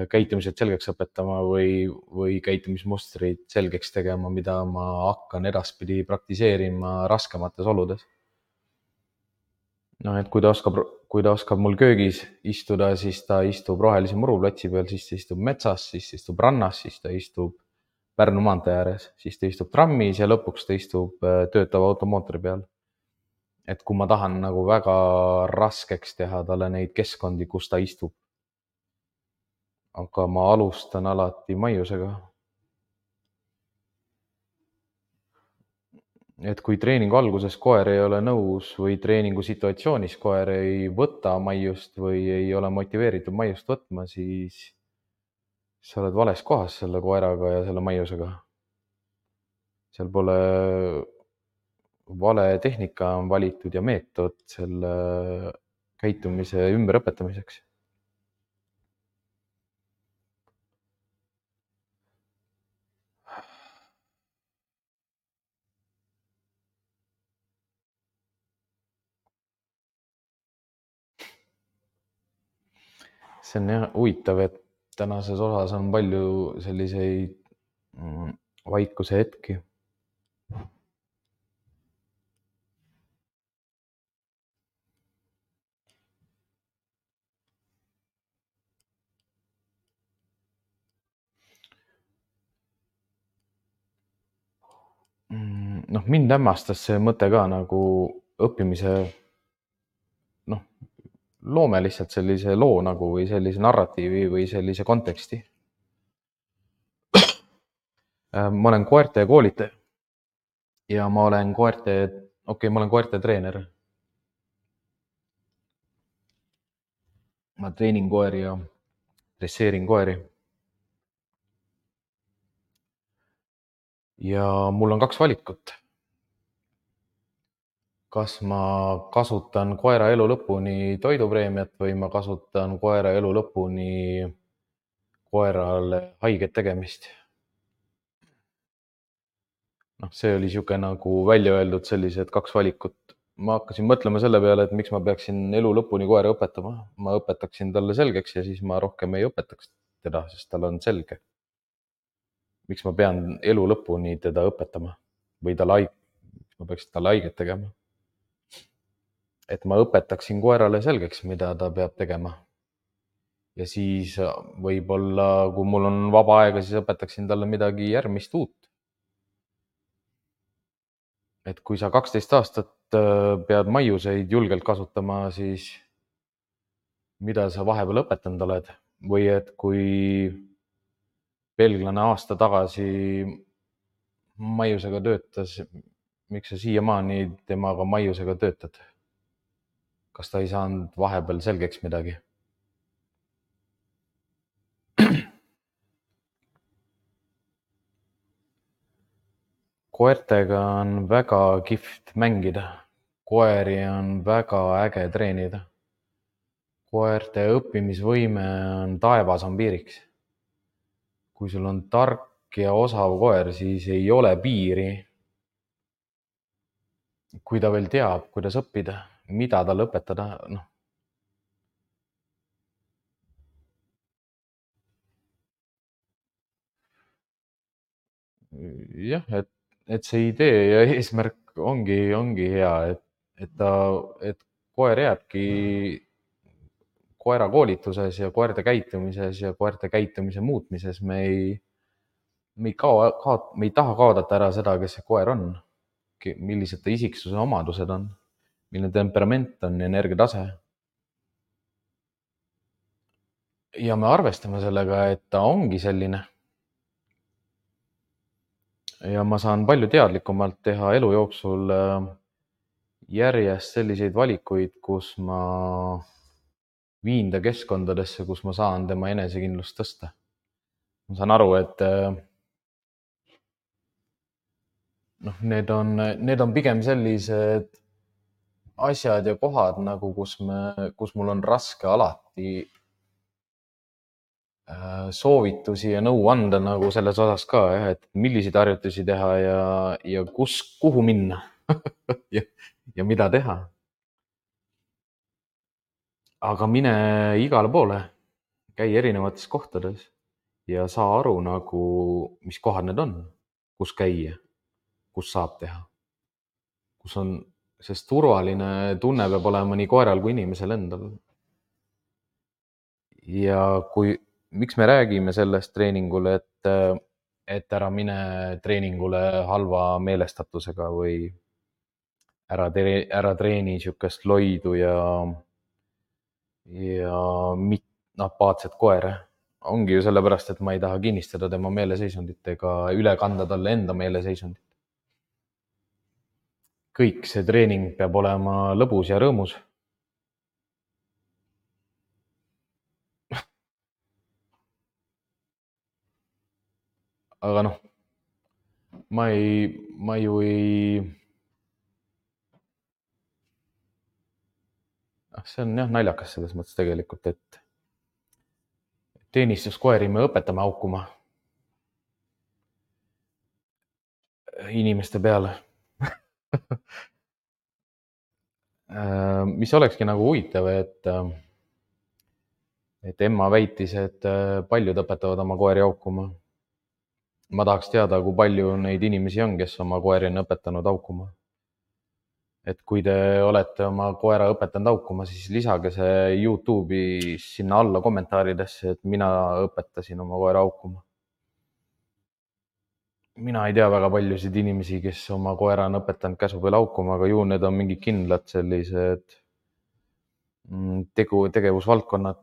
käitumised selgeks õpetama või, või käitumismustrid selgeks tegema, mida ma hakkan edaspidi praktiseerima raskemates oludes. noh, et kui ta oskab, kui ta oskab mul köögis istuda, siis ta istub rohelise muruplatsi peal, siis ta istub metsas, siis ta istub rannas, siis ta istub Pärnu maantee ääres, siis ta istub trammis ja lõpuks ta istub töötava automootori peal. et kui ma tahan nagu väga raskeks teha talle neid keskkondi, kus ta istub, aga ma alustan alati maiusega. et kui treeningu alguses koer ei ole nõus või treeningu situatsioonis koer ei võta maiust või ei ole motiveeritud maiust võtma, siis sa oled vales kohas selle koeraga ja selle maiusega. seal pole vale tehnika on valitud ja meetod selle käitumise ümberõpetamiseks. see on jah huvitav, et tänases osas on palju selliseid vaikuse hetki. Mm, noh, mind hämmastas see mõte ka nagu õppimise, noh, loome lihtsalt sellise loo nagu või sellise narratiivi või sellise konteksti. Ma olen koerte koolitaja ja ma olen koerte, okei okay,, ma olen koerte treener. Ma treenin koeri ja dresseerin koeri. Ja mul on kaks valikut. Kas ma kasutan koera elu lõpuni toidupreemiat või ma kasutan koera elu lõpuni koerale haiget tegemist. Noh, see oli siuke nagu välja öeldud sellised kaks valikut. Ma hakkasin mõtlema selle peale, et miks ma peaksin elu lõpuni koera õpetama. Ma õpetaksin talle selgeks ja siis ma rohkem ei õpetaks teda, sest tal on selge. Miks ma pean elu lõpuni teda õpetama või talle haig-, miks ma peaksin talle haiget tegema. Et ma õpetaksin koerale selgeks, mida ta peab tegema. Ja siis võib-olla, kui mul on vaba aega, siis õpetaksin talle midagi järgmist uut. Et kui sa kaksteist aastat pead maiuseid julgelt kasutama, siis mida sa vahepeal õpetanud oled? Või et kui belglane aasta tagasi maiusega töötas, miks sa siiamaani temaga maiusega töötad? Kas ta ei saanud vahepeal selgeks midagi? Koertega on väga kihvt mängida. Koeri on väga äge treenida. Koerte õppimisvõime on taevas on piiriks. Kui sul on tark ja osav koer, siis ei ole piiri. Kui ta veel teab, kuidas õppida, mida talle õpetada, noh. Jah, et, et see idee ja eesmärk ongi, ongi hea, et, et ta, et koer jääbki koera koolituses ja koerte käitumises ja koerte käitumise muutmises. Me ei, me ei kao, kao, me ei taha kaodata ära seda, kes see koer on, millised ta isiksuse omadused on, milline temperament on, energiatase. Ja me arvestame sellega, et ta ongi selline. Ja ma saan palju teadlikumalt teha elu jooksul järjest selliseid valikuid, kus ma viin ta keskkondadesse, kus ma saan tema enesekindlust tõsta. Ma saan aru, et noh, need on, need on pigem sellised asjad ja kohad, nagu kus, me, kus mul on raske alati soovitusi ja nõu anda nagu selles osas ka, jah, et milliseid harjutusi teha ja, ja kus, kuhu minna ja, ja mida teha. Aga mine igale poole, käi erinevates kohtades ja saa aru nagu, mis kohad need on, kus käia, kus saab teha, kus on, sest turvaline tunne peab olema nii koeral kui inimesel endal. Ja kui, miks me räägime sellest treeningul, et, et ära mine treeningule halva meelestatusega või ära, tere, ära treeni niisugust loidu ja, ja mit, apaatset koera. Ongi ju sellepärast, et ma ei taha kinnistada tema meeleseisundit ega üle kanda talle enda meeleseisundit. Kõik see treening peab olema lõbus ja rõõmus. Aga noh, ma ei, ma ju ei, see on jah naljakas selles mõttes tegelikult, et teenistuskoeri me õpetame haukuma inimeste peale. Mis olekski nagu huvitav, et, et Emma väitis, et paljud õpetavad oma koeri haukuma. Ma tahaks teada, kui palju neid inimesi on, kes oma koeri on õpetanud haukuma. Et kui te olete oma koera õpetanud haukuma, siis lisage see YouTube'i sinna alla kommentaaridesse, et mina õpetasin oma koera haukuma. mina ei tea väga paljusid inimesi, kes oma koera on õpetanud käsu peal haukuma, aga ju need on mingid kindlad sellised tegu, tegevusvaldkonnad,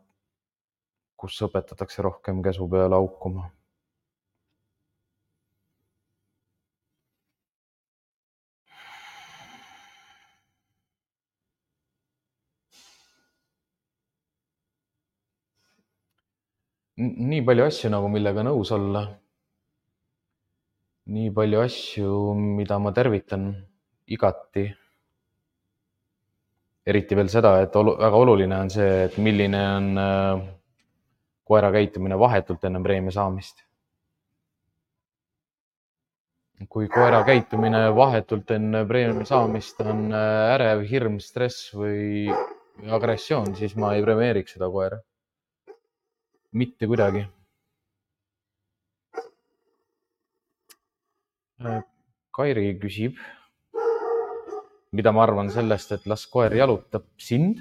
kus õpetatakse rohkem käsu peal haukuma. Nii palju asju nagu, millega nõus olla. Nii palju asju, mida ma tervitan igati. Eriti veel seda, et väga oluline on see, et milline on koera käitumine vahetult enne preemia saamist. Kui koera käitumine vahetult enne preemia saamist on ärev, hirm, stress või agressioon, siis ma ei premeeriks seda koera. Mitte kuidagi. Kairi küsib, mida ma arvan sellest, et las koer jalutab sind.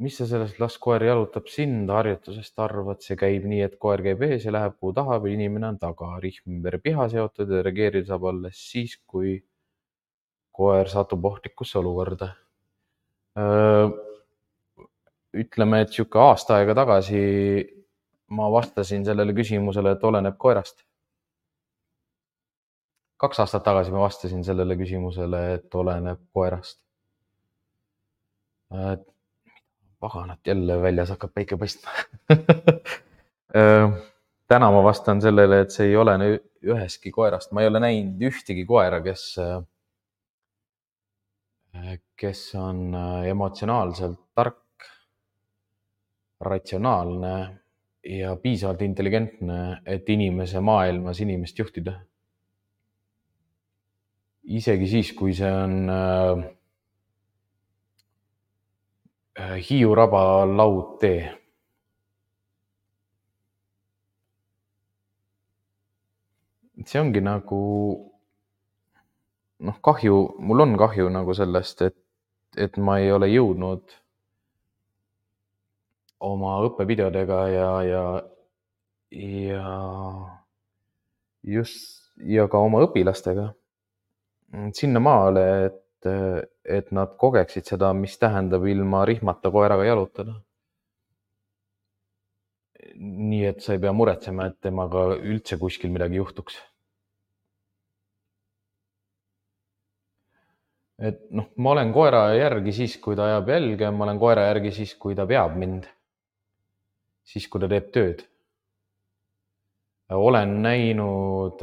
Mis sa sellest las koer jalutab sind harjutusest arvad? See käib nii, et koer käib ees ja läheb kuhu tahab ja inimene on taga. Rihm ümber piha seotud ja reageerida saab alles siis, kui koer satub ohtlikusse olukorda. Ütleme, et siuke aasta aega tagasi ma vastasin sellele küsimusele, et oleneb koerast. Kaks aastat tagasi ma vastasin sellele küsimusele, et oleneb koerast. Paganat, jälle väljas hakkab päike paistma. Täna ma vastan sellele, et see ei olene ühestki koerast. Ma ei ole näinud ühtegi koera, kes, kes on emotsionaalselt tark, ratsionaalne ja piisavalt intelligentne, et inimese maailmas inimest juhtida. Isegi siis, kui see on Hiiu raba laudtee. See ongi nagu, noh, kahju, mul on kahju nagu sellest, et, et ma ei ole jõudnud oma õppevideodega ja, ja, ja just, ja ka oma õpilastega sinna maale, et, et nad kogeksid seda, mis tähendab ilma rihmata koeraga jalutada. Nii, et sa ei pea muretsema, et temaga üldse kuskil midagi juhtuks. Et noh, ma olen koera järgi siis, kui ta ajab jälge, ma olen koera järgi siis, kui ta veab mind. Siis, kui ta teeb tööd. Olen näinud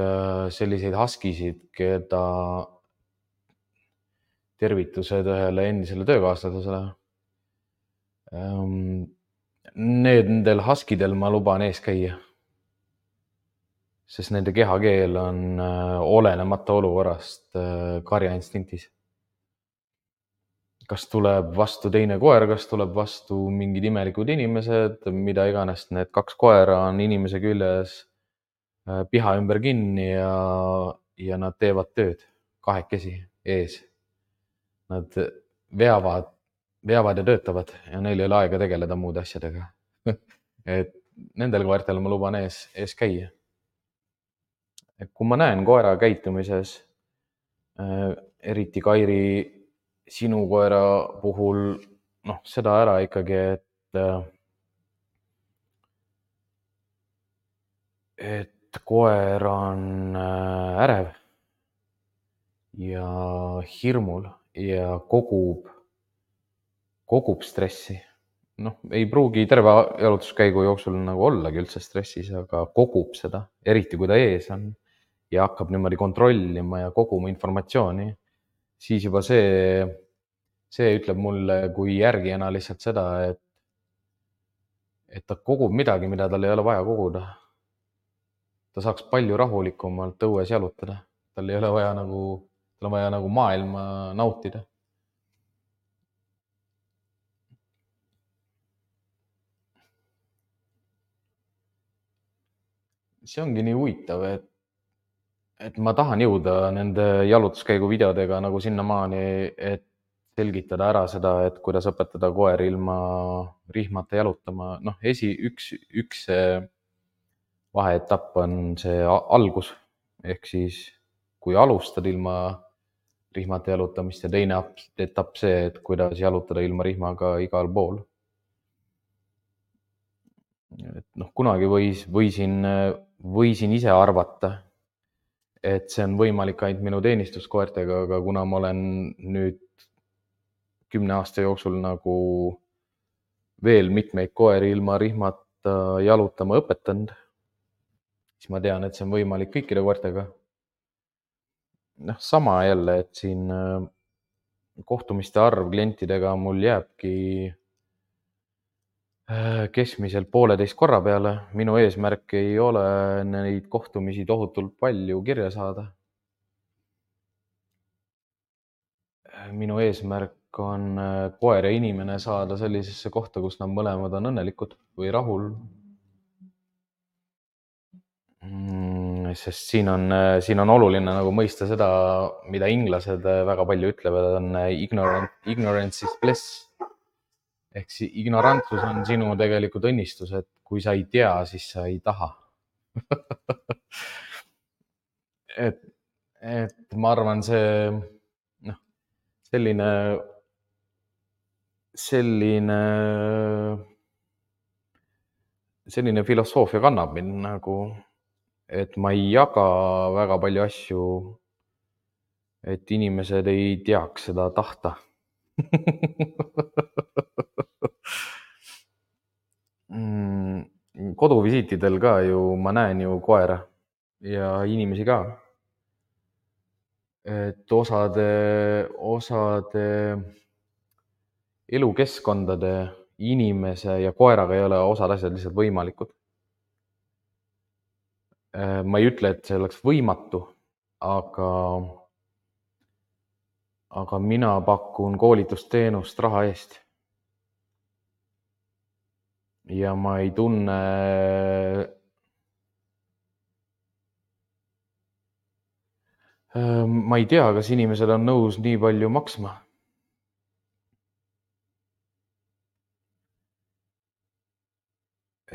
selliseid haskisid, keda tervitused ühele endisele töökaaslasele. Nendel haskidel ma luban ees käia. Sest nende kehakeel on olenemata olukorrast karjainstinktis. Kas tuleb vastu teine koer, kas tuleb vastu mingid imelikud inimesed, mida iganes, need kaks koera on inimese küljes piha ümber kinni ja, ja nad teevad tööd kahekesi ees. Nad veavad, veavad ja töötavad ja neil ei ole aega tegeleda muude asjadega. Et nendel koertel ma luban ees, ees käia. Et kui ma näen koera käitumises, eriti Kairi sinu koera puhul, noh, seda ära ikkagi, et, et koer on ärev ja hirmul ja kogub, kogub stressi. Noh, ei pruugi terve jalutuskäigu jooksul nagu ollagi üldse stressis, aga kogub seda, eriti kui ta ees on ja hakkab niimoodi kontrollima ja koguma informatsiooni. Siis juba see, see ütleb mulle kui järgijana lihtsalt seda, et, et ta kogub midagi, mida tal ei ole vaja koguda. Ta saaks palju rahulikumalt õues jalutada. Tal ei ole vaja nagu, tal on vaja nagu maailma nautida. See ongi nii huvitav, et et ma tahan jõuda nende jalutuskäigu videodega nagu sinnamaani, et selgitada ära seda, et kuidas õpetada koer ilma rihmata jalutama. Noh, esi, üks, üks vaheetapp on see algus ehk siis kui alustad ilma rihmata jalutamist ja teine etapp see, et kuidas jalutada ilma rihmaga igal pool. Et noh, kunagi võis, võisin, võisin ise arvata, et see on võimalik ainult minu teenistuskoertega, aga kuna ma olen nüüd kümne aasta jooksul nagu veel mitmeid koeri ilma rihmata jalutama õpetanud, siis ma tean, et see on võimalik kõikide koertega. Noh, sama jälle, et siin kohtumiste arv klientidega mul jääbki keskmiselt pooleteist korra peale. Minu eesmärk ei ole neid kohtumisi tohutult palju kirja saada. Minu eesmärk on koer ja inimene saada sellisesse kohta, kus nad mõlemad on õnnelikud või rahul. Sest siin on, siin on oluline nagu mõista seda, mida inglased väga palju ütlevad, on ignorant, ignorance is bliss. Ehk siis ignorantsus on sinu tegelikult õnnistus, et kui sa ei tea, siis sa ei taha. et, et ma arvan, see noh, selline, selline, selline filosoofia kannab mind nagu, et ma ei jaga väga palju asju, et inimesed ei teaks seda tahta. Koduvisiitidel ka ju ma näen ju koera ja inimesi ka. Et osade, osade elukeskkondade inimese ja koeraga ei ole osad asjad lihtsalt võimalikud. Ma ei ütle, et see oleks võimatu, aga, aga mina pakun koolitusteenust raha eest. Ja ma ei tunne, ma ei tea, kas inimesed on nõus nii palju maksma.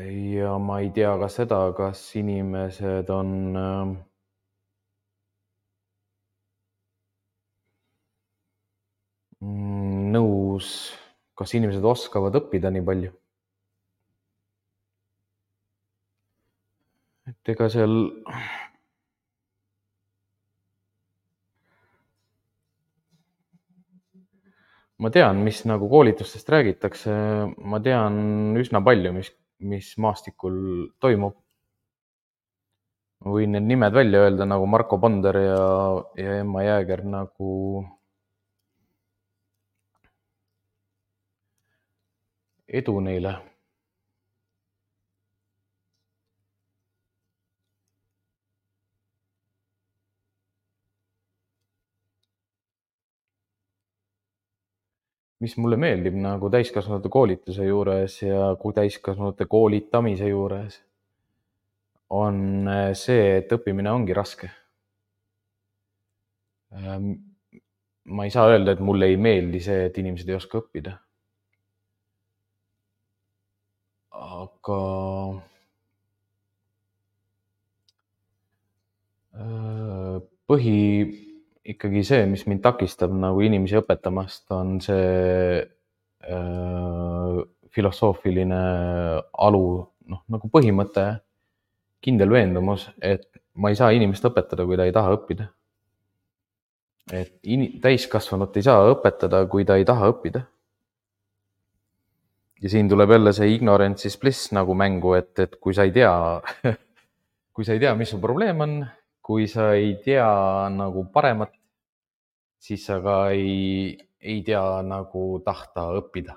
Ja ma ei tea ka seda, kas inimesed on nõus, kas inimesed oskavad õppida nii palju. Et ega seal ma tean, mis nagu koolitustest räägitakse, ma tean üsna palju, mis, mis maastikul toimub. Ma võin need nimed välja öelda nagu Marko Ponder ja, ja Emma Jääger nagu edu neile. Mis mulle meeldib nagu täiskasvanute koolituse juures ja kui täiskasvanute koolitamise juures on see, et õppimine ongi raske. Ma ei saa öelda, et mulle ei meeldi see, et inimesed ei oska õppida. Aga põhi ikkagi see, mis mind takistab nagu inimesi õpetamast, on see äh, filosoofiline alu, noh nagu põhimõte, kindel veendumus, et ma ei saa inimest õpetada, kui ta ei taha õppida. Et in, täiskasvanut ei saa õpetada, kui ta ei taha õppida. Ja siin tuleb jälle see ignorance is bliss nagu mängu, et, et kui sa ei tea, kui sa ei tea, mis su probleem on, kui sa ei tea nagu paremat, siis sa ka ei, ei tea nagu tahta õppida.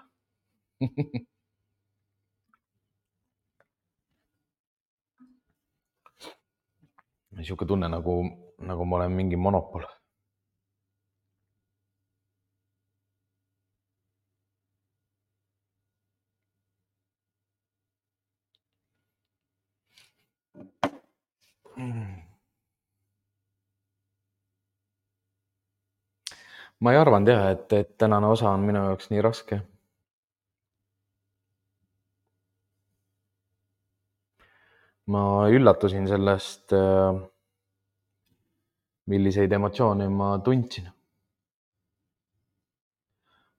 Niisugune tunne nagu, nagu ma olen mingi monopol. Ma ei arvanud jah, et, et tänane osa on minu jaoks nii raske. ma üllatusin sellest, milliseid emotsioone ma tundsin.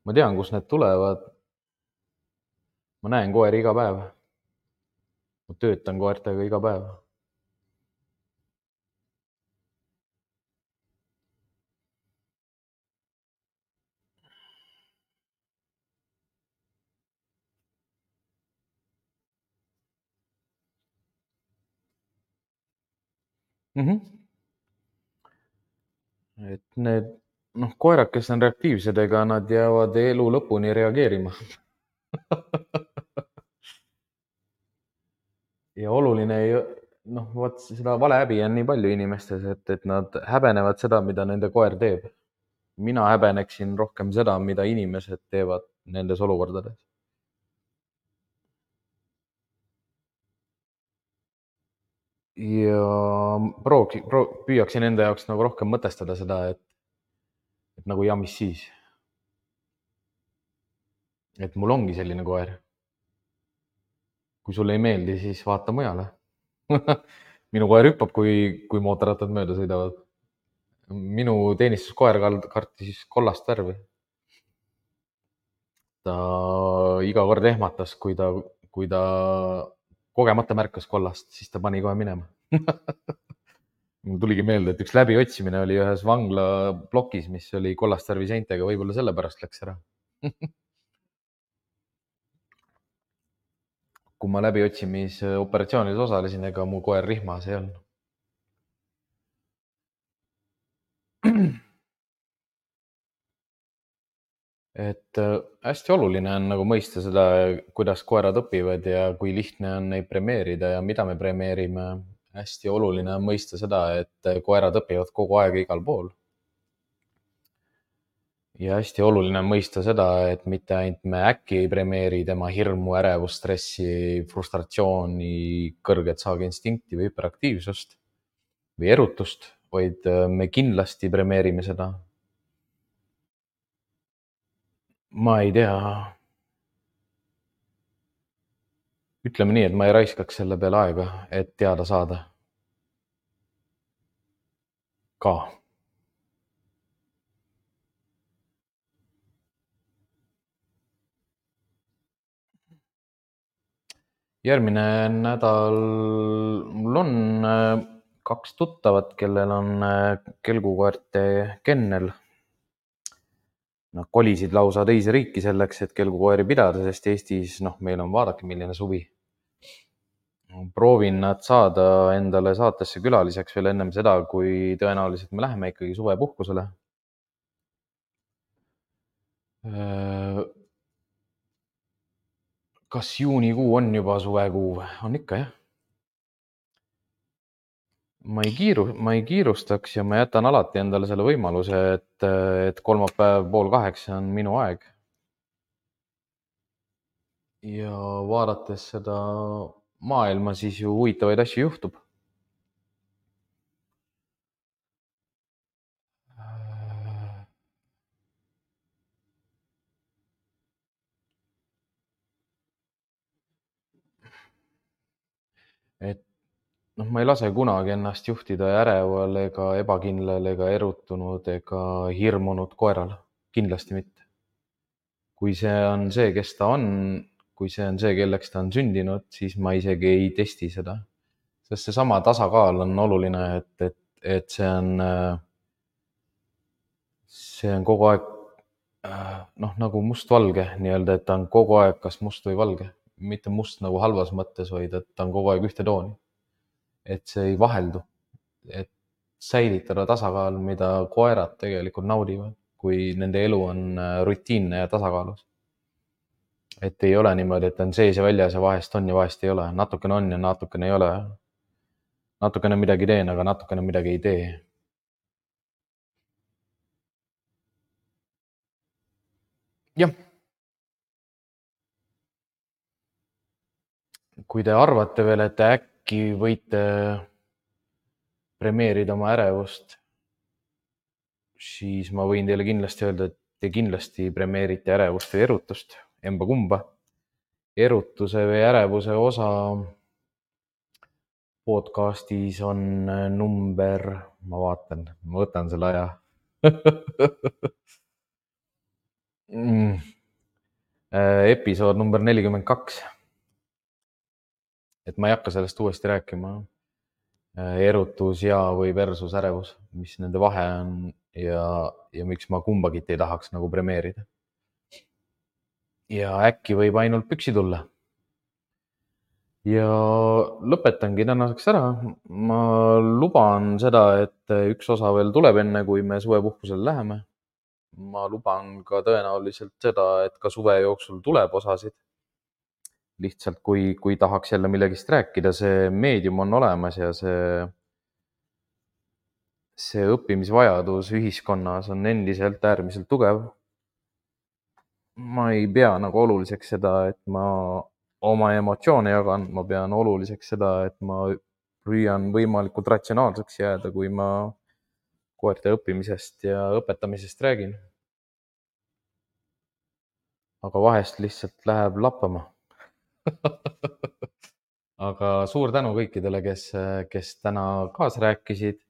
Ma tean, kust need tulevad. Ma näen koeri iga päev. Ma töötan koertega iga päev. Mhm. Et need, noh, koerad, kes on reaktiivsed, ega nad jäävad elu lõpuni reageerima. Ja oluline ei, noh, vot seda valehäbi on nii palju inimestes, et, et nad häbenevad seda, mida nende koer teeb. Mina häbeneksin rohkem seda, mida inimesed teevad nendes olukordades. Ja proovi, proo-, püüaksin enda jaoks nagu rohkem mõtestada seda, et, et nagu ja mis siis. Et mul ongi selline koer. Kui sulle ei meeldi, siis vaata mujale. Minu koer hüppab, kui, kui mootorrattad mööda sõidavad. Minu teenistuskoer kartis kollast värvi. Ta iga kord ehmatas, kui ta, kui ta kogemata märkas kollast, siis ta pani kohe minema. Mul tuligi meelde, et üks läbiotsimine oli ühes vangla plokis, mis oli kollast värvi seintega, võib-olla sellepärast läks ära. Kui ma läbiotsimisoperatsioonil osalesin, ega mu koer rihmas ei olnud. Et hästi oluline on nagu mõista seda, kuidas koerad õpivad ja kui lihtne on neid premeerida ja mida me premeerime. Hästi oluline on mõista seda, et koerad õpivad kogu aeg igal pool. Ja hästi oluline on mõista seda, et mitte ainult me äkki ei premeeri tema hirmu, ärevust, stressi, frustratsiooni, kõrget saaginstinkti või hüperaktiivsust või erutust, vaid me kindlasti premeerime seda. Ma ei tea. Ütleme nii, et ma ei raiskaks selle peale aega, et teada saada. Ka. Järgmine nädal mul on kaks tuttavat, kellel on kelgukoerte kennel. Nad kolisid lausa teise riiki selleks, et kelgukoeri pidada, sest Eestis, noh, meil on vaadake, milline suvi. Proovin nad saada endale saatesse külaliseks veel ennem seda, kui tõenäoliselt me läheme ikkagi suvepuhkusele. Kas juunikuu on juba suvekuu? On ikka, jah. Ma ei kiiru, ma ei kiirustaks ja ma jätan alati endale selle võimaluse, et, et kolmapäev pool kaheksa on minu aeg. Ja vaadates seda maailma, siis ju huvitavaid asju juhtub. Et noh, ma ei lase kunagi ennast juhtida äreval ega ebakindlal ega erutunud ega hirmunud koeral. Kindlasti mitte. Kui see on see, kes ta on, kui see on see, kelleks ta on sündinud, siis ma isegi ei testi seda. Sest seesama tasakaal on oluline, et, et, et see on, see on kogu aeg noh, nagu must-valge nii-öelda, et ta on kogu aeg kas must või valge. Mitte must nagu halvas mõttes, vaid et ta on kogu aeg ühte tooni. Et see ei vaheldu. Et säilitada tasakaal, mida koerad tegelikult naudivad, kui nende elu on rutiinne ja tasakaalus. Et ei ole niimoodi, et on sees ja väljas ja vahest on ja vahest ei ole. Natukene on ja natukene ei ole. Natukene midagi teen, aga natukene midagi ei tee. Jah. Kui te arvate veel, et äkki võite premeerida oma ärevust, siis ma võin teile kindlasti öelda, et te kindlasti premeerite ärevust või erutust, emba kumba. Erutuse või ärevuse osa podcastis on number, ma vaatan, ma võtan selle aja mm. episood number nelikümmend kaks. et ma ei hakka sellest uuesti rääkima. erutus ja või versus ärevus, mis nende vahe on ja, ja miks ma kumbagit ei tahaks nagu premeerida. ja äkki võib ainult püksi tulla. ja lõpetangi tänaseks ära. ma luban seda, et üks osa veel tuleb enne, kui me suvepuhkusele läheme. ma luban ka tõenäoliselt seda, et ka suve jooksul tuleb osasid. lihtsalt kui, kui tahaks jälle millegist rääkida, see meedium on olemas ja see, see õppimisvajadus ühiskonnas on endiselt äärmiselt tugev. ma ei pea nagu oluliseks seda, et ma oma emotsioone jagan, ma pean oluliseks seda, et ma püüan võimalikult ratsionaalseks jääda, kui ma koerte õppimisest ja õpetamisest räägin. aga vahest lihtsalt läheb lappama aga suur tänu kõikidele, kes, kes täna kaasa rääkisid.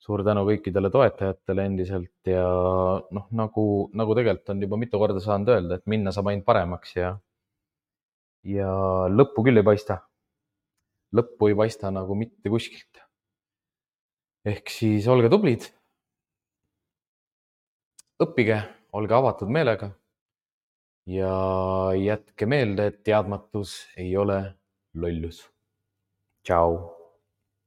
suur tänu kõikidele toetajatele endiselt ja noh, nagu, nagu tegelikult on juba mitu korda saanud öelda, et minna saab ainult paremaks ja, ja lõppu küll ei paista. lõppu ei paista nagu mitte kuskilt. ehk siis olge tublid. õppige, olge avatud meelega. ja jätke meelde, et teadmatus ei ole lollus. Tšau.